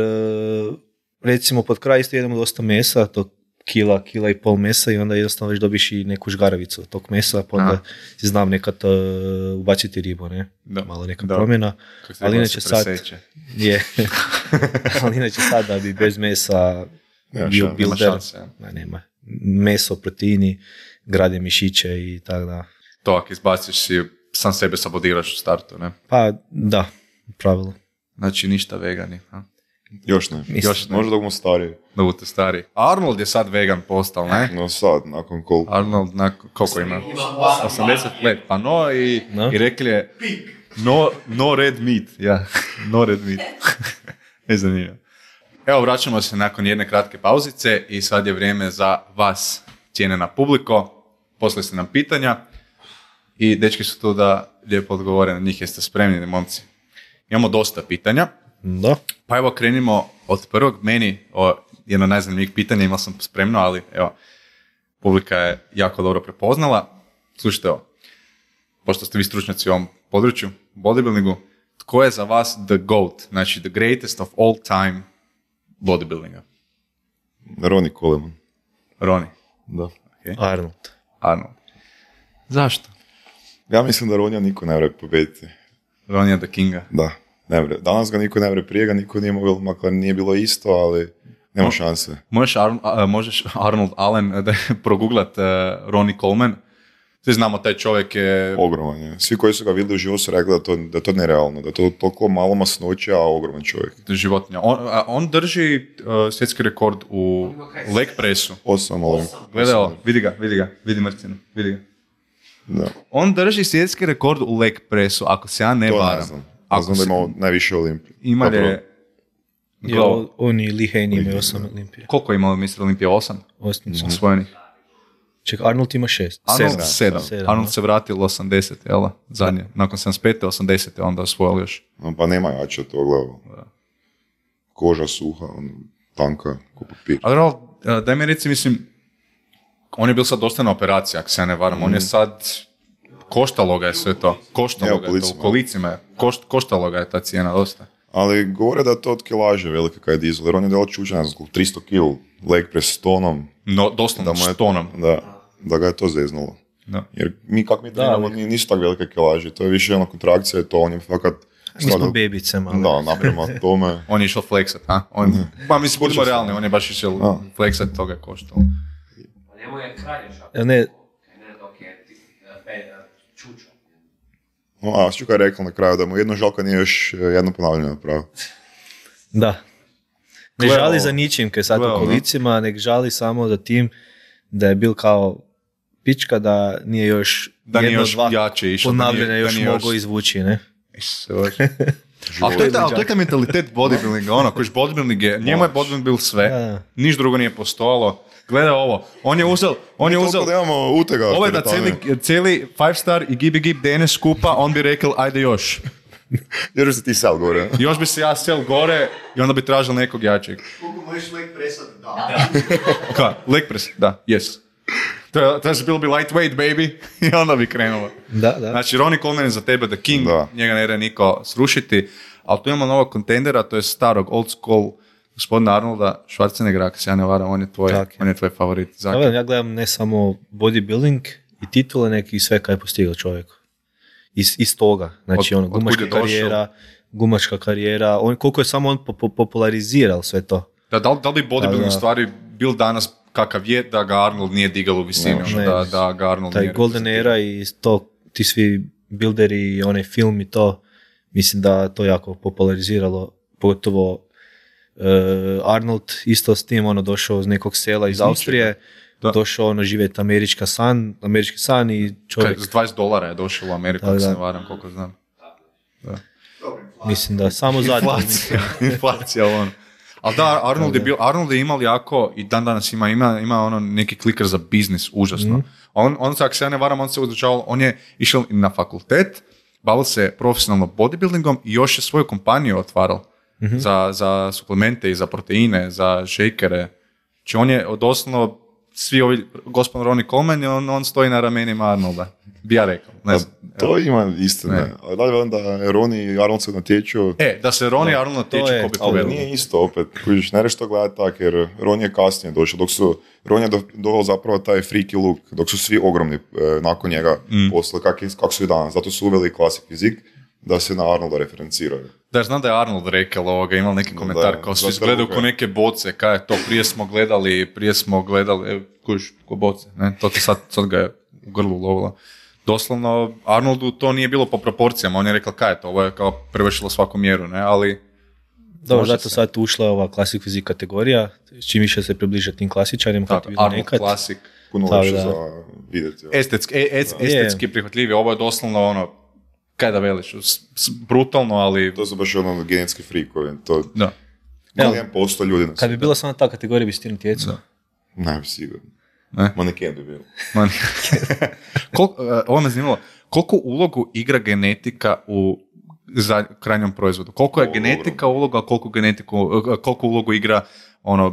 recimo pod kraj isto jedemo dosta mesa, to kila i pol mesa i onda jednostavno već dobiš i neku žgaravicu od tog mesa, pa onda si znam nekad ubaciti ribu, ne? Malo neka promjena. Ali inače sad ali inače sad da bi bez mesa bio builder, nema. Meso, proteini, grade mišiće i tako da.
To ako izbaciš si, sam sebe sabotiraš u startu, ne?
Pa da, u pravilu.
Znači ništa vegani, a?
Još ne. Možda da budemo stariji.
Da budete stariji. Arnold je sad vegan postao, ne?
No sad, nakon koliko?
Arnold, koliko ima? 80 let. Pa i rekli je no red meat. Ja, no red meat. Ne zanimljivo. Evo, vraćamo se nakon jedne kratke pauzice i sad je vrijeme za vas, cijenjena publiko. Poslali ste nam pitanja i dečki su tu da lijepo odgovore na njih. Jeste spremni, momci? Imamo dosta pitanja.
Da.
Pa evo, krenimo od prvog. Meni jedno najzanimljivih pitanja, imao sam spremno, ali evo, publika je jako dobro prepoznala. Slušajte ovo, pošto ste vi stručnjaci u ovom području, bodybuildingu, tko je za vas the GOAT, znači the greatest of all time bodybuildinga?
Ronnie Coleman.
Ronnie?
Da.
Okay. Arnold. Zašto?
Ja mislim da Ronija niko ne vre pobediti.
Ronija the Kinga?
Da. Ne vre. Danas ga niko ne vre, prije ga niko nije mogao, makar nije bilo isto, ali nema šanse.
Možeš Arnold Allen da proguglat Ronnie Coleman. Svi znamo, taj čovjek je...
Ogroman je. Svi koji su ga vidjeli u životu su rekli da je to nerealno, da je to toliko malo masnoće, a ogroman čovjek.
Životinja. On drži svjetski rekord u leg pressu.
8.
Gledaj ovo, vidi mrcinu, vidi ga.
Da.
On drži svjetski rekord u leg pressu, ako se ja ne varam.
To ne znam. Da imao najviše Olimpije.
Ima li...
Oni Lihejni imaju 8 Olimpije.
Koliko je imao Mr. Olimpije? 8?
8.
Osvojenih.
Čekaj, Arnold ima 6.
Arnold 7. Arnold se vratio 80, jel? Zadnje. Nakon 75. 80. onda osvojili još.
Pa nema jače to, gledao. Koža suha, tanka, ko papir.
Ali daj mi reci, mislim, on je bil sad dosta na operaciji, ako se ja ne varam. On je sad, koštalo ga je sve to. Koštalo ga je to, u kolicima. Koštalo ga je ta cijena dosta.
Ali govore da je to od kilaže velike kaj je dizel, jer on je delo čučan, 300 kg leg press s tonom.
No, doslovno s tonom.
Da ga je to zeznulo. Da. Jer kako mi trenamo, nisu tako velike kilaže, to je više jedna kontrakcija, to on je fakat...
Mi smo bebice malo.
Da, naprema tome.
On je išao fleksat, a? Pa mislim, budimo realni, on je baš išao fleksat, toga je koštalo.
Njemu je kralješak.
Ne
dok je čučo.
A Šćuka je rekao na kraju da mu jedno žalko nije još jedno ponavljanje napravio.
Da. Ne žali za ničim kaj sad u kolicima, nek žali samo za tim da je bil kao pička, da nije još
da
jedno
još
dva
jače išao,
ponavljanja još mogao izvući, ne?
Ali to je taj mentalitet bodybuildinga, ono, kojiš bodybuilding je, njemu je bodybuilding sve, niš drugo nije postojalo. Gledaj ovo, on je uzeo...
Da imamo utega.
Ovo je da cijeli 5 star i gib DNS skupa, on bi rekao, ajde još.
Još se ti sel gore.
Još bi se ja sel gore i onda bi tražil nekog jačeg.
Koliko možeš leg presat? Da.
Ka? Leg press? Da, yes. To je bilo bi lightweight, baby. I onda bi krenulo.
Da.
Znači, Ronnie Coleman je za tebe the king, njega ne ide niko srušiti, ali tu imamo novog kontendera, to je starog, old school, gospodina Arnolda Schwarzeneggera, ako se ja ne varam, on je tvoj favorit.
Ja gledam ne samo bodybuilding i titule, neki sve kaj je postigao čovjek. Iz toga, znači gumačka karijera, koliko je samo on popularizirao sve to.
Da li bi bodybuilding stvari bil danas kakav je, da ga Arnold nije digao u visini, da ga Arnold
taj
nije...
Taj Golden Era i to, ti svi builderi i onaj film i to, mislim da to jako populariziralo, pogotovo Arnold isto s tim, došao iz nekog sela iz Austrije, došao živjeti američki san i čovjek...
Za $20 je došao u Ameriku, ako se ne varam, koliko znam. Da.
Mislim da samo zadnje.
Inflacija, ono. Ali da, Arnold je imao jako, i dan danas ima neki kliker za biznis, užasno. On ako se ja ne varam, on se uzučavao, on je išao na fakultet, bavio se profesionalno bodybuildingom i još je svoju kompaniju otvarao za suplemente i za proteine, za šejkere. Znači on je doslovno, svi ovi, gospodin Ronnie Coleman, on stoji na ramenima Arnolda. Bi ja rekao. Ne znam.
To ima istine. Ali da li vam da Ronnie i Arnold se natječu?
Da se Ronnie i Arnold natječu, ko bi povedali.
Nije isto opet. Kužiš, ne reći to gledati tak, jer Ronnie je kasnije došao. Ronnie je doveo zapravo taj freaky look, dok su svi ogromni nakon njega posle, kako su i danas. Zato su uveli klasik fizik, da se na Arnolda referenciraju.
Da, znam da je Arnold rekao imao neki komentar, kao svi gledaju ko neke boce, kaj je to, prije smo gledali, kužiš, ko boce, ne, to te sad ga je u grlu ulovilo. Doslovno, Arnoldu to nije bilo po proporcijama, on je rekao kaj je to, ovo je kao prevršilo svaku mjeru, ne, ali...
Dobro, zato sad ušla ova Classic Physique kategorija, čim više se približa tim klasičarima, kako je bilo
Arnold
nekad.
Classic.
Puno lakše za vidjeti.
Estetski prihvatljivije, ovo je doslovno kaj da veliš, brutalno, ali...
To su baš genetski frikovi, to...
Da.
1% ljudi na
Kad bi bila samo ta kategorija, bi si ti natjecao?
Ne bi sigurno. Maneken bi bilo.
Ovo me zanimalo, koliko ulogu igra genetika u krajnjom proizvodu? Koliko je genetika uloga, a koliko ulogu igra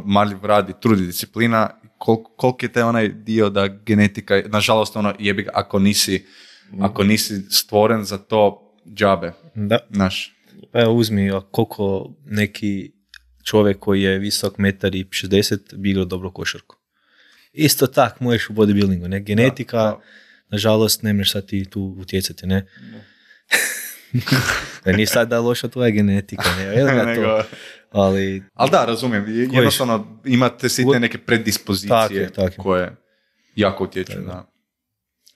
marljiv rad i trud i disciplina? Koliko je taj onaj dio da genetika, nažalost, jebi ga, ako nisi stvoren za to, džabe.
Da.
Naš.
Pa evo uzmi, koliko neki čovjek koji je visok 1,60 m bi igrao dobro košarku. Isto tak možeš u bodybuildingu, ne? Genetika, nažalost, ne možeš sad ti tu utjecati, ne? Nije sad da loša tvoja genetika, ne? Ali
da, razumijem. Jednostavno imate sitne neke predispozicije koje jako utječu na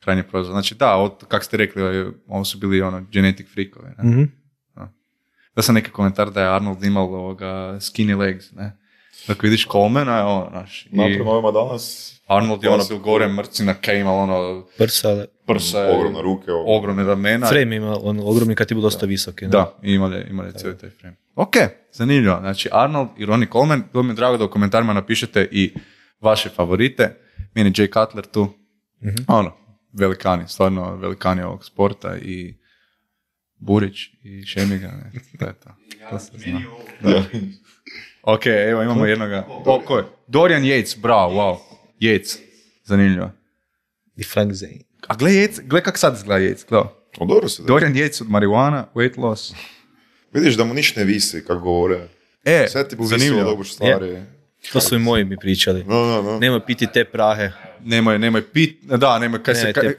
krajnje proizvod. Znači da, kako ste rekli, ovo su bili genetic freakovi. Da sam neki komentar da je Arnold imao skinny legs, ne? Dok vidiš Colemana, naš.
Naprema ovima danas...
Arnold je bil gore mrcina, kaj imao
prsa,
ogromne ruke,
ogromne ramena.
Frame ima ogromni kad ti bu dosta visoki. Ne?
Da, imali cijeli taj frame. Ok, zanimljivo. Znači Arnold i Ronnie Coleman, bilo mi je drago da u komentarima napišete i vaše favorite. Meni Jay Cutler tu, velikani, stvarno velikani ovog sporta i Burić i Šemiga, ne, to se zna. Da. Ok, evo imamo jednoga. Ko je? Dorian Yates, bravo, wow. Yates, zanimljivo.
I Frank Zane.
A gle kak sad izgleda Yates,
dobro se da.
Dorian Yates od marijuana, weight loss.
Vidiš da mu ništa ne visi, kako govore. Sve ti bu visilo dobro stvari.
To su i moji mi pričali. Nemoj piti te prahe.
Nemoj pit,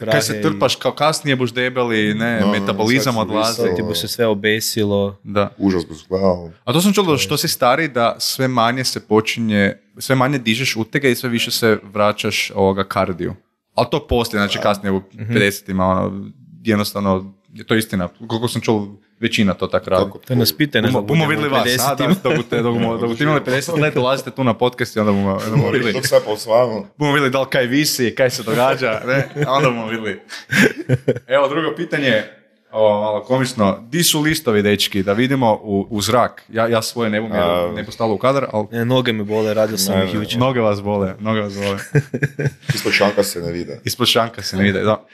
kaj se trpaš kao kasnije buš debeli, metabolizam odlazi.
Ti bu se sve obesilo.
Da.
Užas bu zgledao.
A to sam čuo što si stari da sve manje se počinje, sve manje dižeš utega i sve više se vraćaš kardiju. Ali to poslije, znači kasnije u 50-ima, jednostavno, to je istina. Koliko sam čuo, većina to tako radi.
To nas pite, ne znam,
bumo vidjeli vas, dok ti imali 50 let, dolazite tu na podcast i onda bumo vidjeli.
Dok sve posvajamo.
Bumo vidjeli da li kaj visi, kaj se događa, ne? A onda bumo vidjeli. Evo, drugo pitanje, Ovo malo komično. Di su listovi, dečki, da vidimo u zrak. Ja svoje ne bom jer ne postalo u kadar, ali...
Noge me bole, radio sam ih jučer.
Noge vas bole.
Ispod šanka se ne vide.
Ispod šanka se ne vide, da.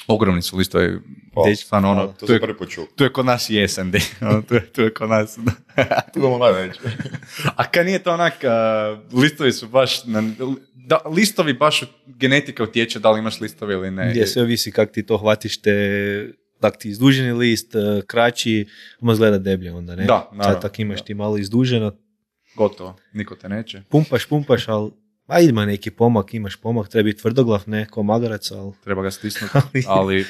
Ogromni su listovi. Stvarno ono,
to sam prvi počuo.
Tu je kod nas jesen, tu je kod nas.
Tu imamo najveće.
A kad nije to onak, listovi su baš, listovi baš genetika utječe da li imaš listovi ili ne.
Gdje sve ovisi kako ti to hvatiš tak ti izduženi list, kraći, ono izgleda deblje onda, ne?
Da, naravno.
Sad tak imaš ti malo izduženo.
Gotovo, niko te neće.
Pumpaš, ali ima neki pomak, imaš pomak, treba biti tvrdoglav, ne, ko magarac, ali...
Treba ga stisnuti, ali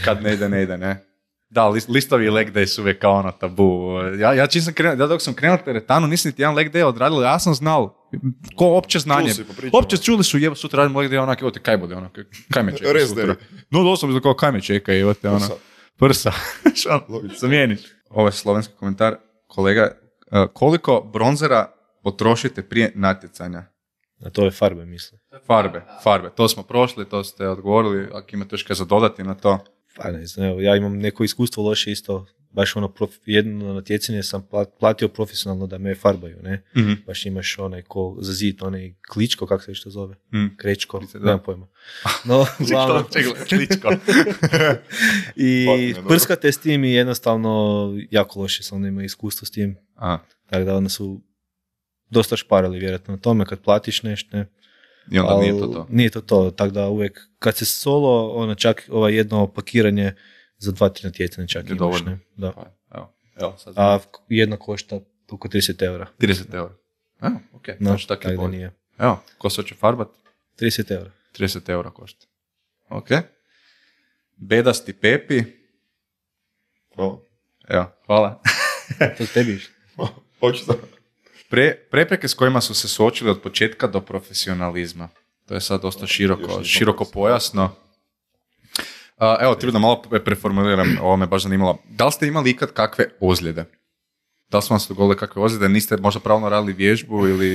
kad ne ide, ne. Da, listovi i leg day su uvijek kao ono tabu. Ja čim sam krenuo, dok sam krenuo teretanu, nisam niti jedan leg day odradio, ja sam znao, ko opće znanje. Opće čuli su, jebo sutra radimo leg day, onak, evo te kaj bude, onak, kaj me čeka sutra. No, doslovno kao kaj me čeka, evo te, ono, prsa. Zamijeniš. Ovo je slovenski komentar. Kolega, koliko bronzera potrošite prije natjecanja?
A to je farbe, mislim.
Farbe. To smo prošli, to ste odgovorili, ako imate još kaj za dodati na to.
Pa ne znam, evo, ja imam neko iskustvo loše isto, baš ono, jedno natjecanje sam platio profesionalno da me farbaju, ne?
Mm-hmm.
Baš imaš onaj ko za zid, onaj kličko, kako se što zove? Krečko, nemam pojma.
No, kličko.
I prskate s tim i jednostavno jako loše sam onda imao iskustvo s tim. Tako da onda su dosta šparali vjerojatno na tome kad platiš nešto, ne?
I onda nije to to.
Nije to, tako da uvijek, kad se solo, ono čak jedno pakiranje za 2-3 natjecanja čak imaš, dovoljno. Ne? Da.
Pa, evo, sad
a jedno košta oko 30 €.
30 €. Evo, ok.
No, tako da nije.
Evo, ko se hoće farbat?
30 €.
30 € košta. Ok. Bedasti Pepi.
Hvala.
Evo, hvala.
To tebi išlo.
Počeo.
Prepreke s kojima su se suočili od početka do profesionalizma. To je sad dosta široko pojasno. Evo, ti da malo preformuliram, ovo me baš zanimalo. Da li ste imali ikad kakve ozljede? Da li su vam se dogodile kakve ozljede? Niste možda pravilno radili vježbu ili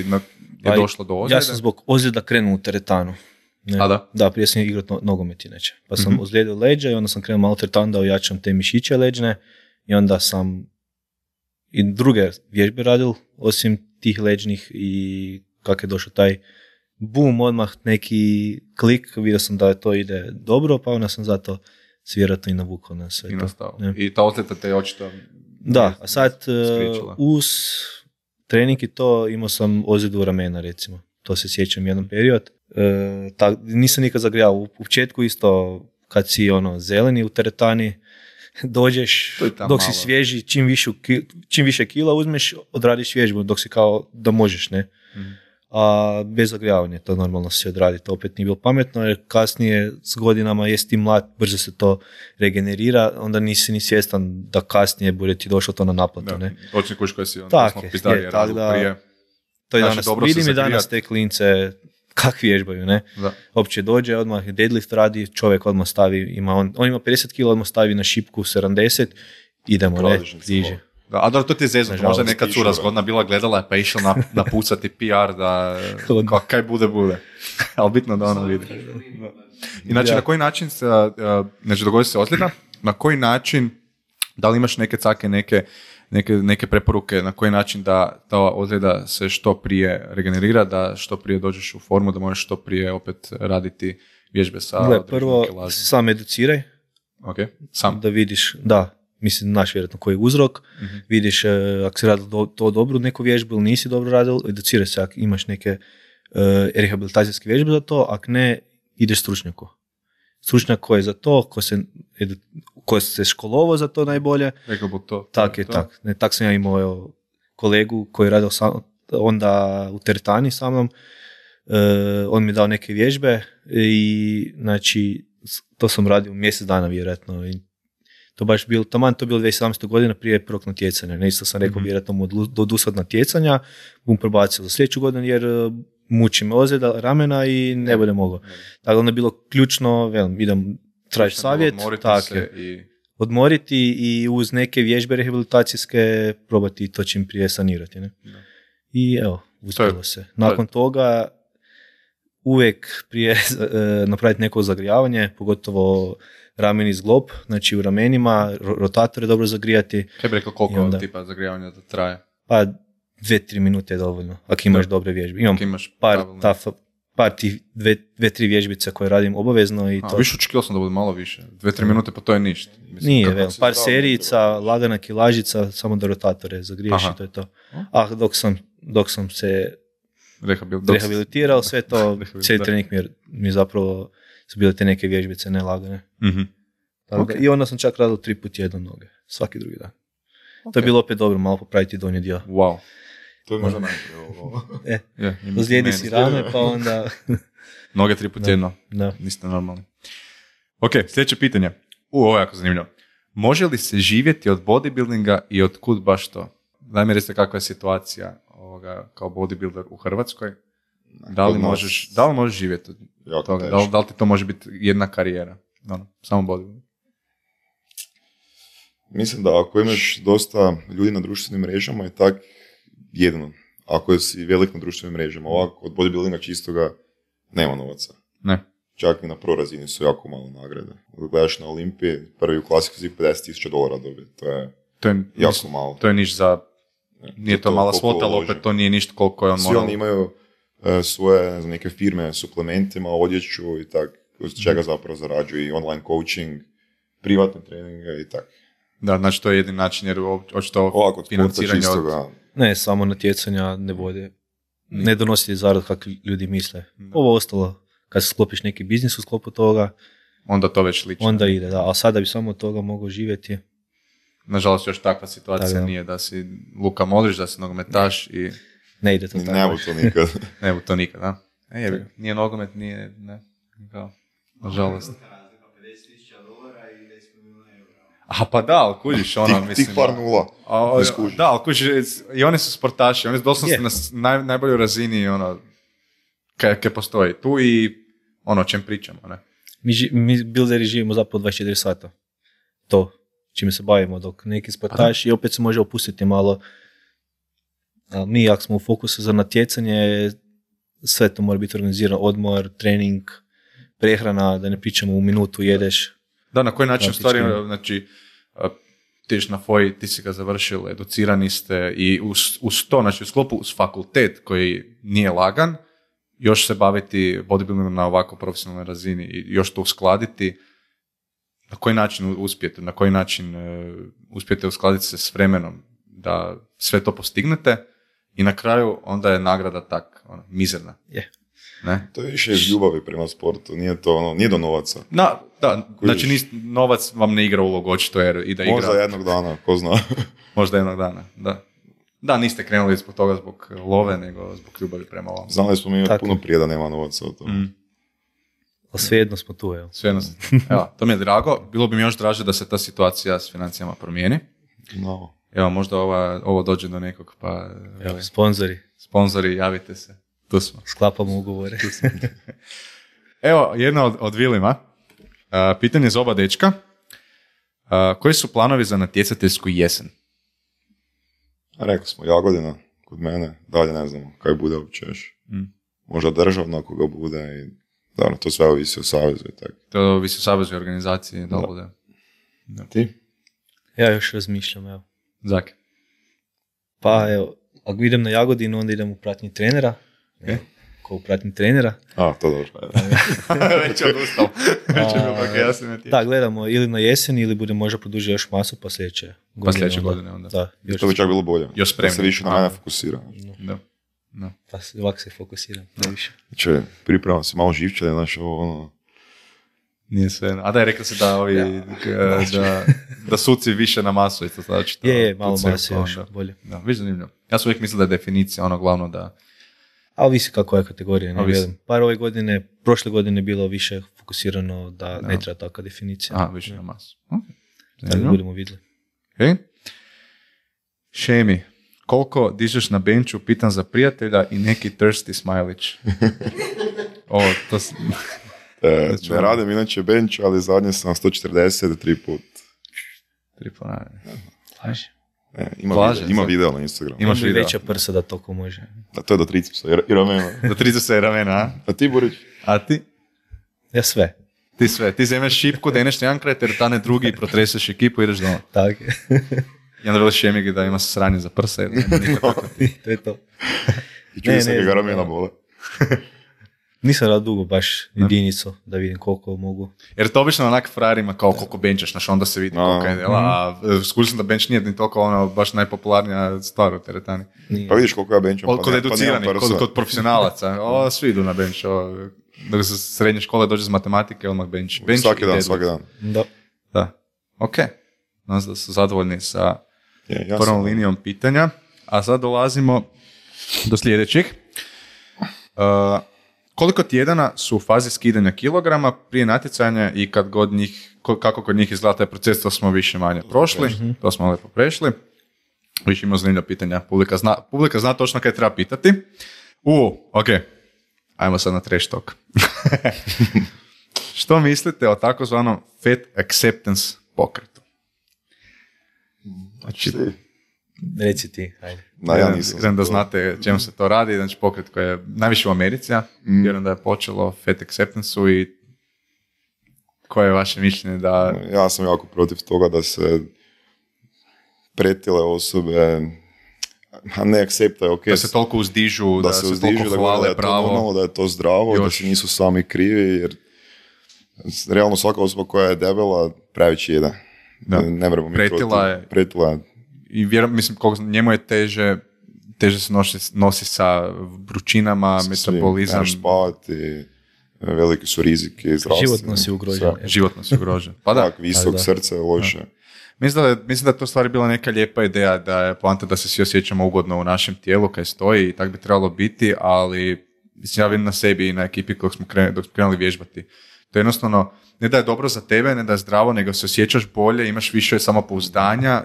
je došlo do ozljede?
Ja sam zbog ozljeda krenuo u teretanu. Ne.
A da?
Da, prije sam igrao nogomet inače. Pa sam ozlijedio leđa i onda sam krenuo malo teretanu da ojačam te mišiće leđne i onda sam i druge vježbe radil, osim tih leđnih i kako je došao taj boom, odmah neki klik, vidio sam da to ide dobro, pa onda sam zato vjerojatno i navukao na sve to.
I ta ozljeda te očito...
Da, a sad uz trening i to imao sam ozljedu ramena recimo, to se sjećam jedan period. Nisam nikad zagrijao, u početku isto kad si zeleni u teretani, dođeš, dok si svježi, čim više kila uzmeš, odradiš vježbu, dok si kao da možeš, ne? A bez zagrijavanja to normalno se odradi, to opet nije bilo pametno, jer kasnije s godinama jesi ti mlad, brzo se to regenerira, onda nisi ni svjestan da kasnije bude ti došlo to na naplatu, ne?
Točno kuš koji si smo pizdarije razlog prije.
To je danas, vidim i danas te klince kak vježbaju, ne? Da. Opće dođe, odmah deadlift radi, čovjek odmah stavi, on ima 50 kg, odmah stavi na šipku 70, idemo, ne, diže.
Da, a dobro, to ti je zezno, možda neka cura zgodna bila gledala pa išla napucati PR da kaj bude. Ali bitno da ono vidi. Inače, na koji način se, znači dogodi se ozljeda, na koji način, da li imaš neke cake, neke preporuke na koji način da ta ozljeda se što prije regenerira, da što prije dođeš u formu, da možeš što prije opet raditi vježbe sa...
Gle, prvo sam educiraj,
sam.
Da vidiš, mislim, znaš vjerojatno koji je uzrok, vidiš ako si radil to dobro neku vježbu ili nisi dobro radil, educiraj se ako imaš neke rehabilitacijske vježbe za to, ako ne, ideš stručnjaku. Stručnjak koji je za to, ko se školovao za to najbolje. Tak sam ja imao kolegu koji je radio onda u teretani sa mnom, on mi je dao neke vježbe i znači to sam radio mjesec dana vjerojatno i to baš bilo, to bilo 2017. godina prije prvog natjecanja. Ne, isto sam rekao vjerojatno mu odusad natjecanja, bum prebacio za sljedeću godinu jer muči me ozljeda ramena i ne bude mogao. Tako onda je bilo ključno, idem tražiti savjet, odmoriti i uz neke vježbe rehabilitacijske probati to čim prije sanirati. Ne? I evo, uspjelo se. Nakon toga uvijek prije napraviti neko zagrijavanje, pogotovo rameni zglob, znači u ramenima, rotatore dobro zagrijati.
Kaj bi rekao koliko
onda,
tipa zagrijavanja da traje?
Pa 2-3 minute je dovoljno, ako imaš dobre vježbe. Imam par tih 2-3 vježbice koje radim obavezno i to.
Više očekivao sam da bude malo više. 2-3 minute pa to je ništa. Mislim,
nije, par serijica, lagana kilažica, samo da rotatore zagriješ i to je to. A dok sam se rehabilitirao, sve to, cijeli trening mi zapravo su bile te neke vježbice nelagane. I onda sam čak radio 3 puta jedno noge, svaki drugi dan. To je bilo opet dobro, malo popraviti donji dio.
Wow.
To je možda najprije.
Ozlijedi si rame, pa onda...
Noge 3 puta jedno.
Da.
Niste normalni. Ok, sljedeće pitanje. Ovo je jako zanimljivo. Može li se živjeti od bodybuildinga i od kud baš to? Daj mi recite kakva je situacija kao bodybuilder u Hrvatskoj. Da li možeš živjeti od toga? Da li ti to može biti jedna karijera? Samo bodybuilding.
Mislim da ako imaš dosta ljudi na društvenim mrežama je tak jedno. Ako si velik na društvenim mrežama, ovako od bodybuildinga čistoga nema novaca.
Ne.
Čak i na pro razini su jako malo nagrade. Gledaš na Olimpiji, prvi u klasiku si $50,000 dobiti. To je jako malo.
To je niš za... Nije to mala svota, ali opet to nije ništa koliko je on morao.
Svi oni imaju svoje neke firme, suplementima, odjeću i tak, uz čega zapravo zarađuju i online coaching, privatne treninge i tak.
Da, znači to je jedin način jer očito financiranje od...
Ne, samo natjecanja ne vode. Ne donosi zarad kako ljudi misle. Ovo ostalo, kad sklopiš neki biznis u sklopu toga,
onda to već liči.
Onda ide, da. A sada bi samo od toga mogao živjeti.
Nažalost, još takva situacija nije da si Luka Modrić, da si nogometaš i...
Ne ide to tako.
Ne bu to nikad.
Ne bu to nikad, da. Nije nogomet, nije... Ne. Kao, nažalost. A pa da, ali kužiš mislim...
Tih par nula.
Da, ali kužiš, i oni su sportaši, oni su doslovno na najboljoj razini, kaj postoji. Tu i o čem pričamo, ne?
Mi builderi živimo zapravo 24 sata. To, čime se bavimo, dok neki sportaši i opet se može opustiti malo. A mi, ako smo u fokusu za natjecanje, sve to mora biti organizirano, odmor, trening, prehrana, da ne pričamo u minutu jedeš.
Da, na koji način stvari, znači, ti na FOI, ti si ga završil, educirani ste i uz to, znači u sklopu uz fakultet koji nije lagan, još se baviti bodybuildingom na ovako profesionalnoj razini i još to uskladiti, na koji način uspijete, na koji način uspijete uskladiti se s vremenom da sve to postignete i na kraju onda je nagrada tak, mizerna. Ne?
To je više iz ljubavi prema sportu, nije to nije do novaca.
Da, znači novac vam ne igra ulogu očito jer i da igra.
Možda jednog dana, ko zna.
Možda jednog dana, da. Da, niste krenuli zbog toga zbog love, nego zbog ljubavi prema ovom.
Znali smo mi puno prije da nema novaca o tome.
Ali svejedno smo tu, evo.
Svejedno. Evo, to mi je drago. Bilo bi mi još draže da se ta situacija s financijama promijeni.
No.
Evo, možda ovo dođe do nekog, pa...
Evo, sponzori, javite se. Tu smo. Sklapamo ugovore.
Evo, jedna od Vilima. Pitanje za oba dečka. Koji su planovi za natjecateljsku jesen?
Rekli smo, Jagodina kod mene, dalje ne znamo kaj bude uopće još. Možda državno ako ga bude i da, to sve ovisi o savezu i tako.
To ovisi o savezu i organizaciji, da bude.
Da. Ti?
Ja još razmišljam, evo.
Zaki?
Pa evo, ako idem na Jagodinu, onda idem u pratnji trenera.
Okay.
Ko u pratnji trenera.
A, to dobro.
Već je odustao. Već je bilo kako jasno natječe.
Da, gledamo ili na jesen ili bude možda produžiti još masu pa sljedeće
godine. Onda.
Da, to bi čak bilo bolje.
Još spremno.
Da se više na mene fokusira.
Da.
Pa ovako se fokusiram, najviše.
Znači, pripremam se malo živčane, znaš, ovo,
Nije sve. A da je rekao se da ovi, da suci više na masu, isto znači.
Je, malo mase još, bolje.
Da, više zanimljivo. Ja sam uvijek mislio da je definicija glavno da...
A ovisi kako je kategorija, ne vjerujem. Par prošle godine bilo više fokusirano da ne treba takva definicija.
A, više na masu.
Da budemo vidjeli.
Okay. Šemi, koliko dižeš na benču, pitam za prijatelja i neki thirsty smajlić.
Ne radim inače bench, ali zadnje sam 140 3 put.
3 puta.
Laži.
Ima video na Instagramu.
Imaš video. Veća prsa da toliko može.
Da, to je do tricepsa i ramena.
Do tricepsa i ramena, a?
A ti, Borić?
A ti?
Ja sve.
Ti zemeš šipku, deneš jedan kraj teretane drugi i protreseš ekipu i ideš doma.
Tako je.
I onda veliš Šemigi da ima sranje za prsa.
To je to.
I čuje se ga ramena bole.
Nisam radio dugo baš jedinicu da vidim koliko mogu.
Jer to obično onak frajerima kao koliko benčaš, znaš, onda se vidi koliko je dela, a skušam da bench nije ni toliko ono baš najpopularnija stvar u teretani.
Pa vidiš koliko ja bencham,
Kod educiranih, kod profesionalaca, svi idu na bench, dok se srednje škole dođe iz matematike, odmah bench.
Svaki dan.
Da. Ok, nas da su zadovoljni sa prvom linijom pitanja, a sad dolazimo do sljedećih. Koliko tjedana su u fazi skidanja kilograma prije natjecanja i kad god njih, kako kod njih izgleda taj proces, to smo više manje prošli, to smo lepo prešli. Više imamo zanimljiva pitanja, publika zna točno kaj treba pitati. Ok, ajmo sad na trash talk. Što mislite o takozvanom fat acceptance pokretu?
Znači,
reci ti, ajde.
Ja nisam.
Znam da znate čemu se to radi, znači pokret koji je najviše u Americi, vjerujem da je počelo fat acceptance-u i koje je vaše mišljenje da...
Ja sam jako protiv toga da se pretile osobe ne akceptaju, ok.
Da se toliko uzdižu, da se toliko hvale
da
pravo.
Normalno, da je to zdravo, da se nisu sami krivi, jer realno svaka osoba koja je debela previše jede. Ne moramo mi pretila je.
I mislim, njemu je teže se nosi sa vrućinama, metabolizam.
Spavati, veliki su riziki zdravstveni.
Životno si ugrožen.
Pa da.
Tak, visok, srce, loše.
Mislim da je to stvari bila neka lijepa ideja, da je poanta da se svi osjećamo ugodno u našem tijelu kaj stoji i tak bi trebalo biti, ali mislim, ja vidim na sebi i na ekipi dok smo krenuli vježbati. To je jednostavno, ne da je dobro za tebe, ne da je zdravo, nego se osjećaš bolje, imaš više samopouzdanja,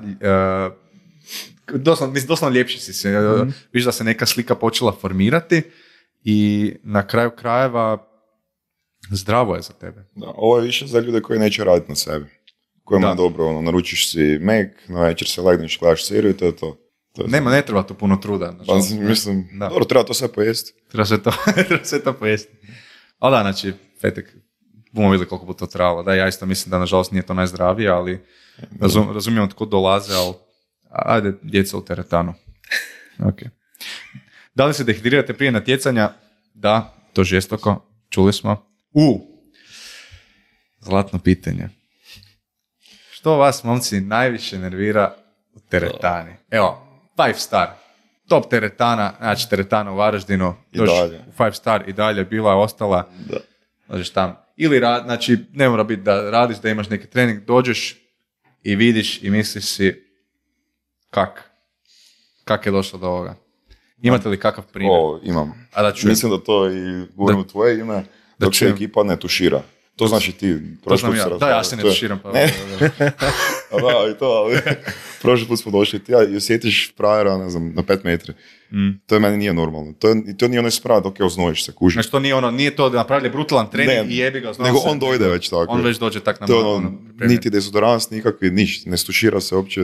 doslovno ljepši si se. Viš da se neka slika počela formirati i na kraju krajeva zdravo je za tebe.
Da, ovo je više za ljude koji neće raditi na sebi. Kojima je dobro, naručiš si Mac, na večer se legneš, gledaš seriju i to je to.
Ne treba tu puno truda.
Mislim, dobro, treba to sve pojesti.
Treba sve to pojesti. Ali da, znači, fetek, bomo vidjeli koliko bi to trebalo. Da, ja isto mislim da nažalost nije to najzdravije, ali razumijem od kud dolaze, ali ajde, djeca u teretanu. Okay. Da li se dehidrirate prije natjecanja? Da, to žestoko, čuli smo. Zlatno pitanje. Što vas, momci, najviše nervira u teretani? Evo, 5 star. Top teretana, znači teretana u Varaždinu.
I dalje.
5 star i dalje bila je ostala.
Da.
Dođeš tamo. Ili znači, ne mora biti da radiš, da imaš neki trening, dođeš i vidiš i misliš si kak je došlo do ovoga. Imate li kakav primjer?
Imam.
A da čujem.
Mislim da to i govorim u tvoje ime, dok se ekipa ne tušira. To znači ti.
To znam ja. Da, ja se ne tuširam. Pa
ne. Da, i to, ali prošli put smo došli ti i osjetiš frajera, ne znam, na 5 metri. To je meni nije normalno. To nije onaj sprat dok je oznojiš se, kužiš.
Znači to nije to da napravili brutalan trening i jebi ga oznojiš se.
Nego on dojde već tako.
On već dođe tak na
malo. Niti dezodorans, nikakvi, ništa. Ne stušira se uopće.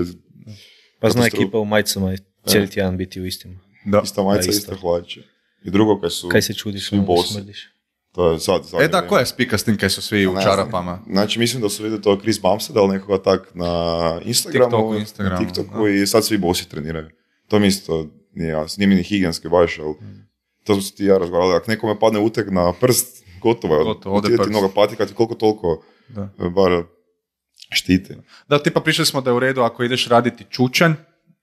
Pa zna ekipa u majicama cijeli tjedan biti u istim.
Da. Ista majica, ista hlače. I drugo kaj
se čudiš, smrdiš.
To je sad
koja je spika s tim kaj su svi u čarapama?
Znači, mislim da su vidjeli to Chris Bumstead, ali nekoga tak na Instagramu, TikToku i sad svi bosi treniraju. To mi isto nije jasno. Nije mi ni higijenski baš, ali to su ti ja razgovarali. Ako nekome padne uteg na prst, gotovo je. Ti mnoga patika, ti koliko toliko bar štiti.
Da, tipa prišli smo da je u redu ako ideš raditi čučanj,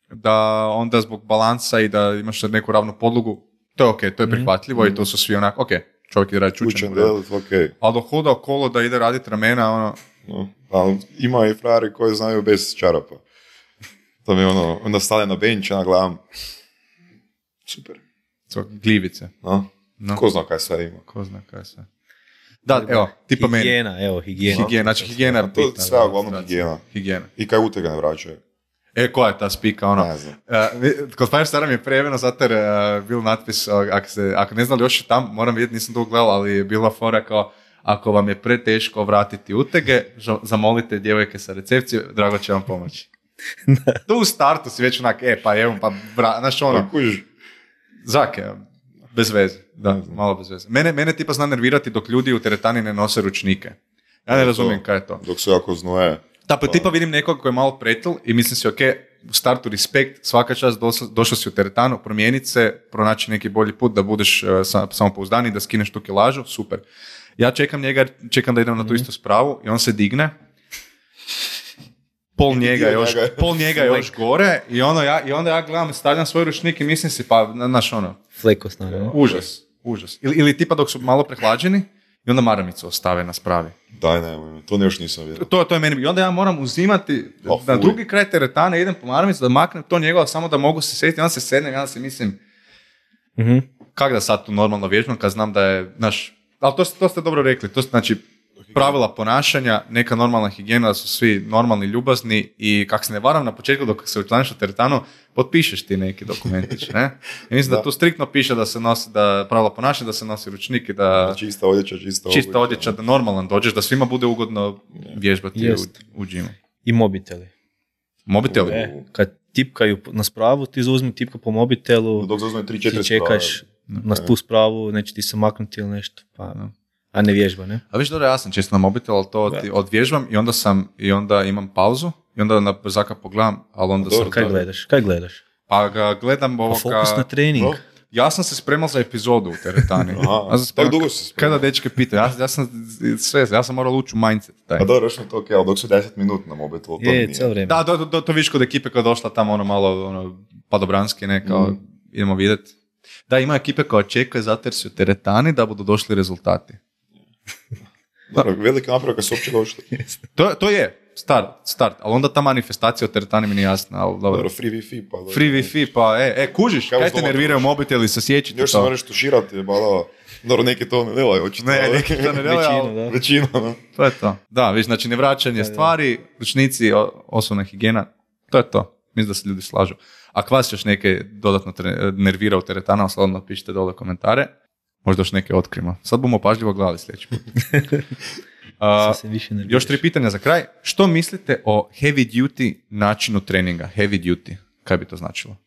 da onda zbog balansa i da imaš neku ravnu podlogu, to je okej, to je prihvatljivo i to su svi onako, okej. Čovjek ide raditi čučanj.
Okay.
Ali dok hoda okolo da ide raditi ramena,
ali ima i frajeri koji znaju bez čarapa. To mi onda stane na bench, ja gledam. Super.
Gljivice.
Ko zna kaj sve ima.
Da, evo, tipa meni.
Higijena.
Znači higijena je bitna.
To sve uglavnom higijena. I kaj utega ne vraćaju.
Koja je ta spika,
Ne znam.
Kod Fire Stara mi je prejeveno, zato jer bil natpis, ako ne znali još je tam, moram vidjeti, nisam to gledao, ali je bila fora kao, ako vam je preteško vratiti utege, zamolite djevojke sa recepcije, drago će vam pomoći. Tu u startu si već onak, znaš ono, zake, bez veze, da, malo bez veze. Mene tipa zna nervirati dok ljudi u teretani ne nose ručnike. Ja ne razumijem kaj je to.
Dok su jako znoje.
Da, pa tipa vidim nekog koji je malo pretil i mislim si, ok, u startu respekt, svaka čast, došao si u teretanu, promijeniti se, pronaći neki bolji put, da budeš samopouzdaniji, da skineš tu kilažu, super. Ja čekam njega, čekam da idem na tu istu spravu i on se digne, pol njega još gore i onda ja gledam, stavljam svoj ručnik i mislim si, pa, znaš ono,
Flekosna, ne?
Užas. Ili tipa dok su malo prehlađeni i onda maramicu ostave na spravi.
Daj, nemoj, to još nisam vidio.
To je meni. I onda ja moram uzimati na drugi kraj teretane, idem po maramicu da maknem to njegova, samo da mogu se sjetiti. Onda se sednem, onda se mislim, kak da sad tu normalno vježbam kad znam da je, znaš, ali to ste dobro rekli, to znači pravila ponašanja, neka normalna higijena, da su svi normalni, ljubazni i kak se ne varam na početku dok se učlaniš u teretanu, potpišeš ti neki dokumentić, ne? I mislim da tu striktno piše da se nosi, da pravila ponašanja, da se nosi ručnik i da...
Čista odjeća,
da normalan dođeš, da svima bude ugodno vježbati u džimu.
I mobiteli.
Mobiteli?
Kad tipkaju na spravu, ti zauzmi tipku po mobitelu,
dok zauzme 3-4
ti čekaš na tu spravu, neće ti se maknuti ili nešto, pa... A ne vježba, ne?
A viš dobro, ja sam često na mobitel, ali to odvježbam i onda imam pauzu i onda na brzaka pogledam, ali onda sam...
Kaj gledaš?
Pa ga gledam ovoga...
Fokus na trening.
Ja sam se spremao za epizodu u teretani.
Tako dugo se spremao.
Kada dečke pitaju, ja sam morao ući u mindset.
A dobro, još mi to ok, ali dok su 10 minuta na mobitelu, to nije.
Cijelo vrijeme.
Da, to viš kod ekipe koja je došla tamo malo padobranski, kao idemo vidjeti. Da, ima ekipe koja čekaju zato jer su u teretani da budu došli rezultati.
Dobro, velika naprava kad su uopće došli.
To je start, ali onda ta manifestacija o teretani mi nije jasna.
Dobro, free Wi-Fi pa...
Free Wi-Fi pa, kužiš, kaj te nerviraju mobiteli, se sjećite to.
Još se moraš tuširati, dobro, neki to ne delaju, očito.
Ne, neki to ne delaju,
većina, da.
To je to. Da, viš, znači nevraćanje stvari, ručnici, osobna higijena, to je to. Mislim da se ljudi slažu. Ako vas još neke dodatno nervira u teretana, slobodno pišite dole komentare. Možda još neke otkrimo. Sad bomo pažljivo gledali sljedeći put. Još 3 pitanja za kraj. Što mislite o heavy duty načinu treninga? Heavy duty. Kaj bi to značilo?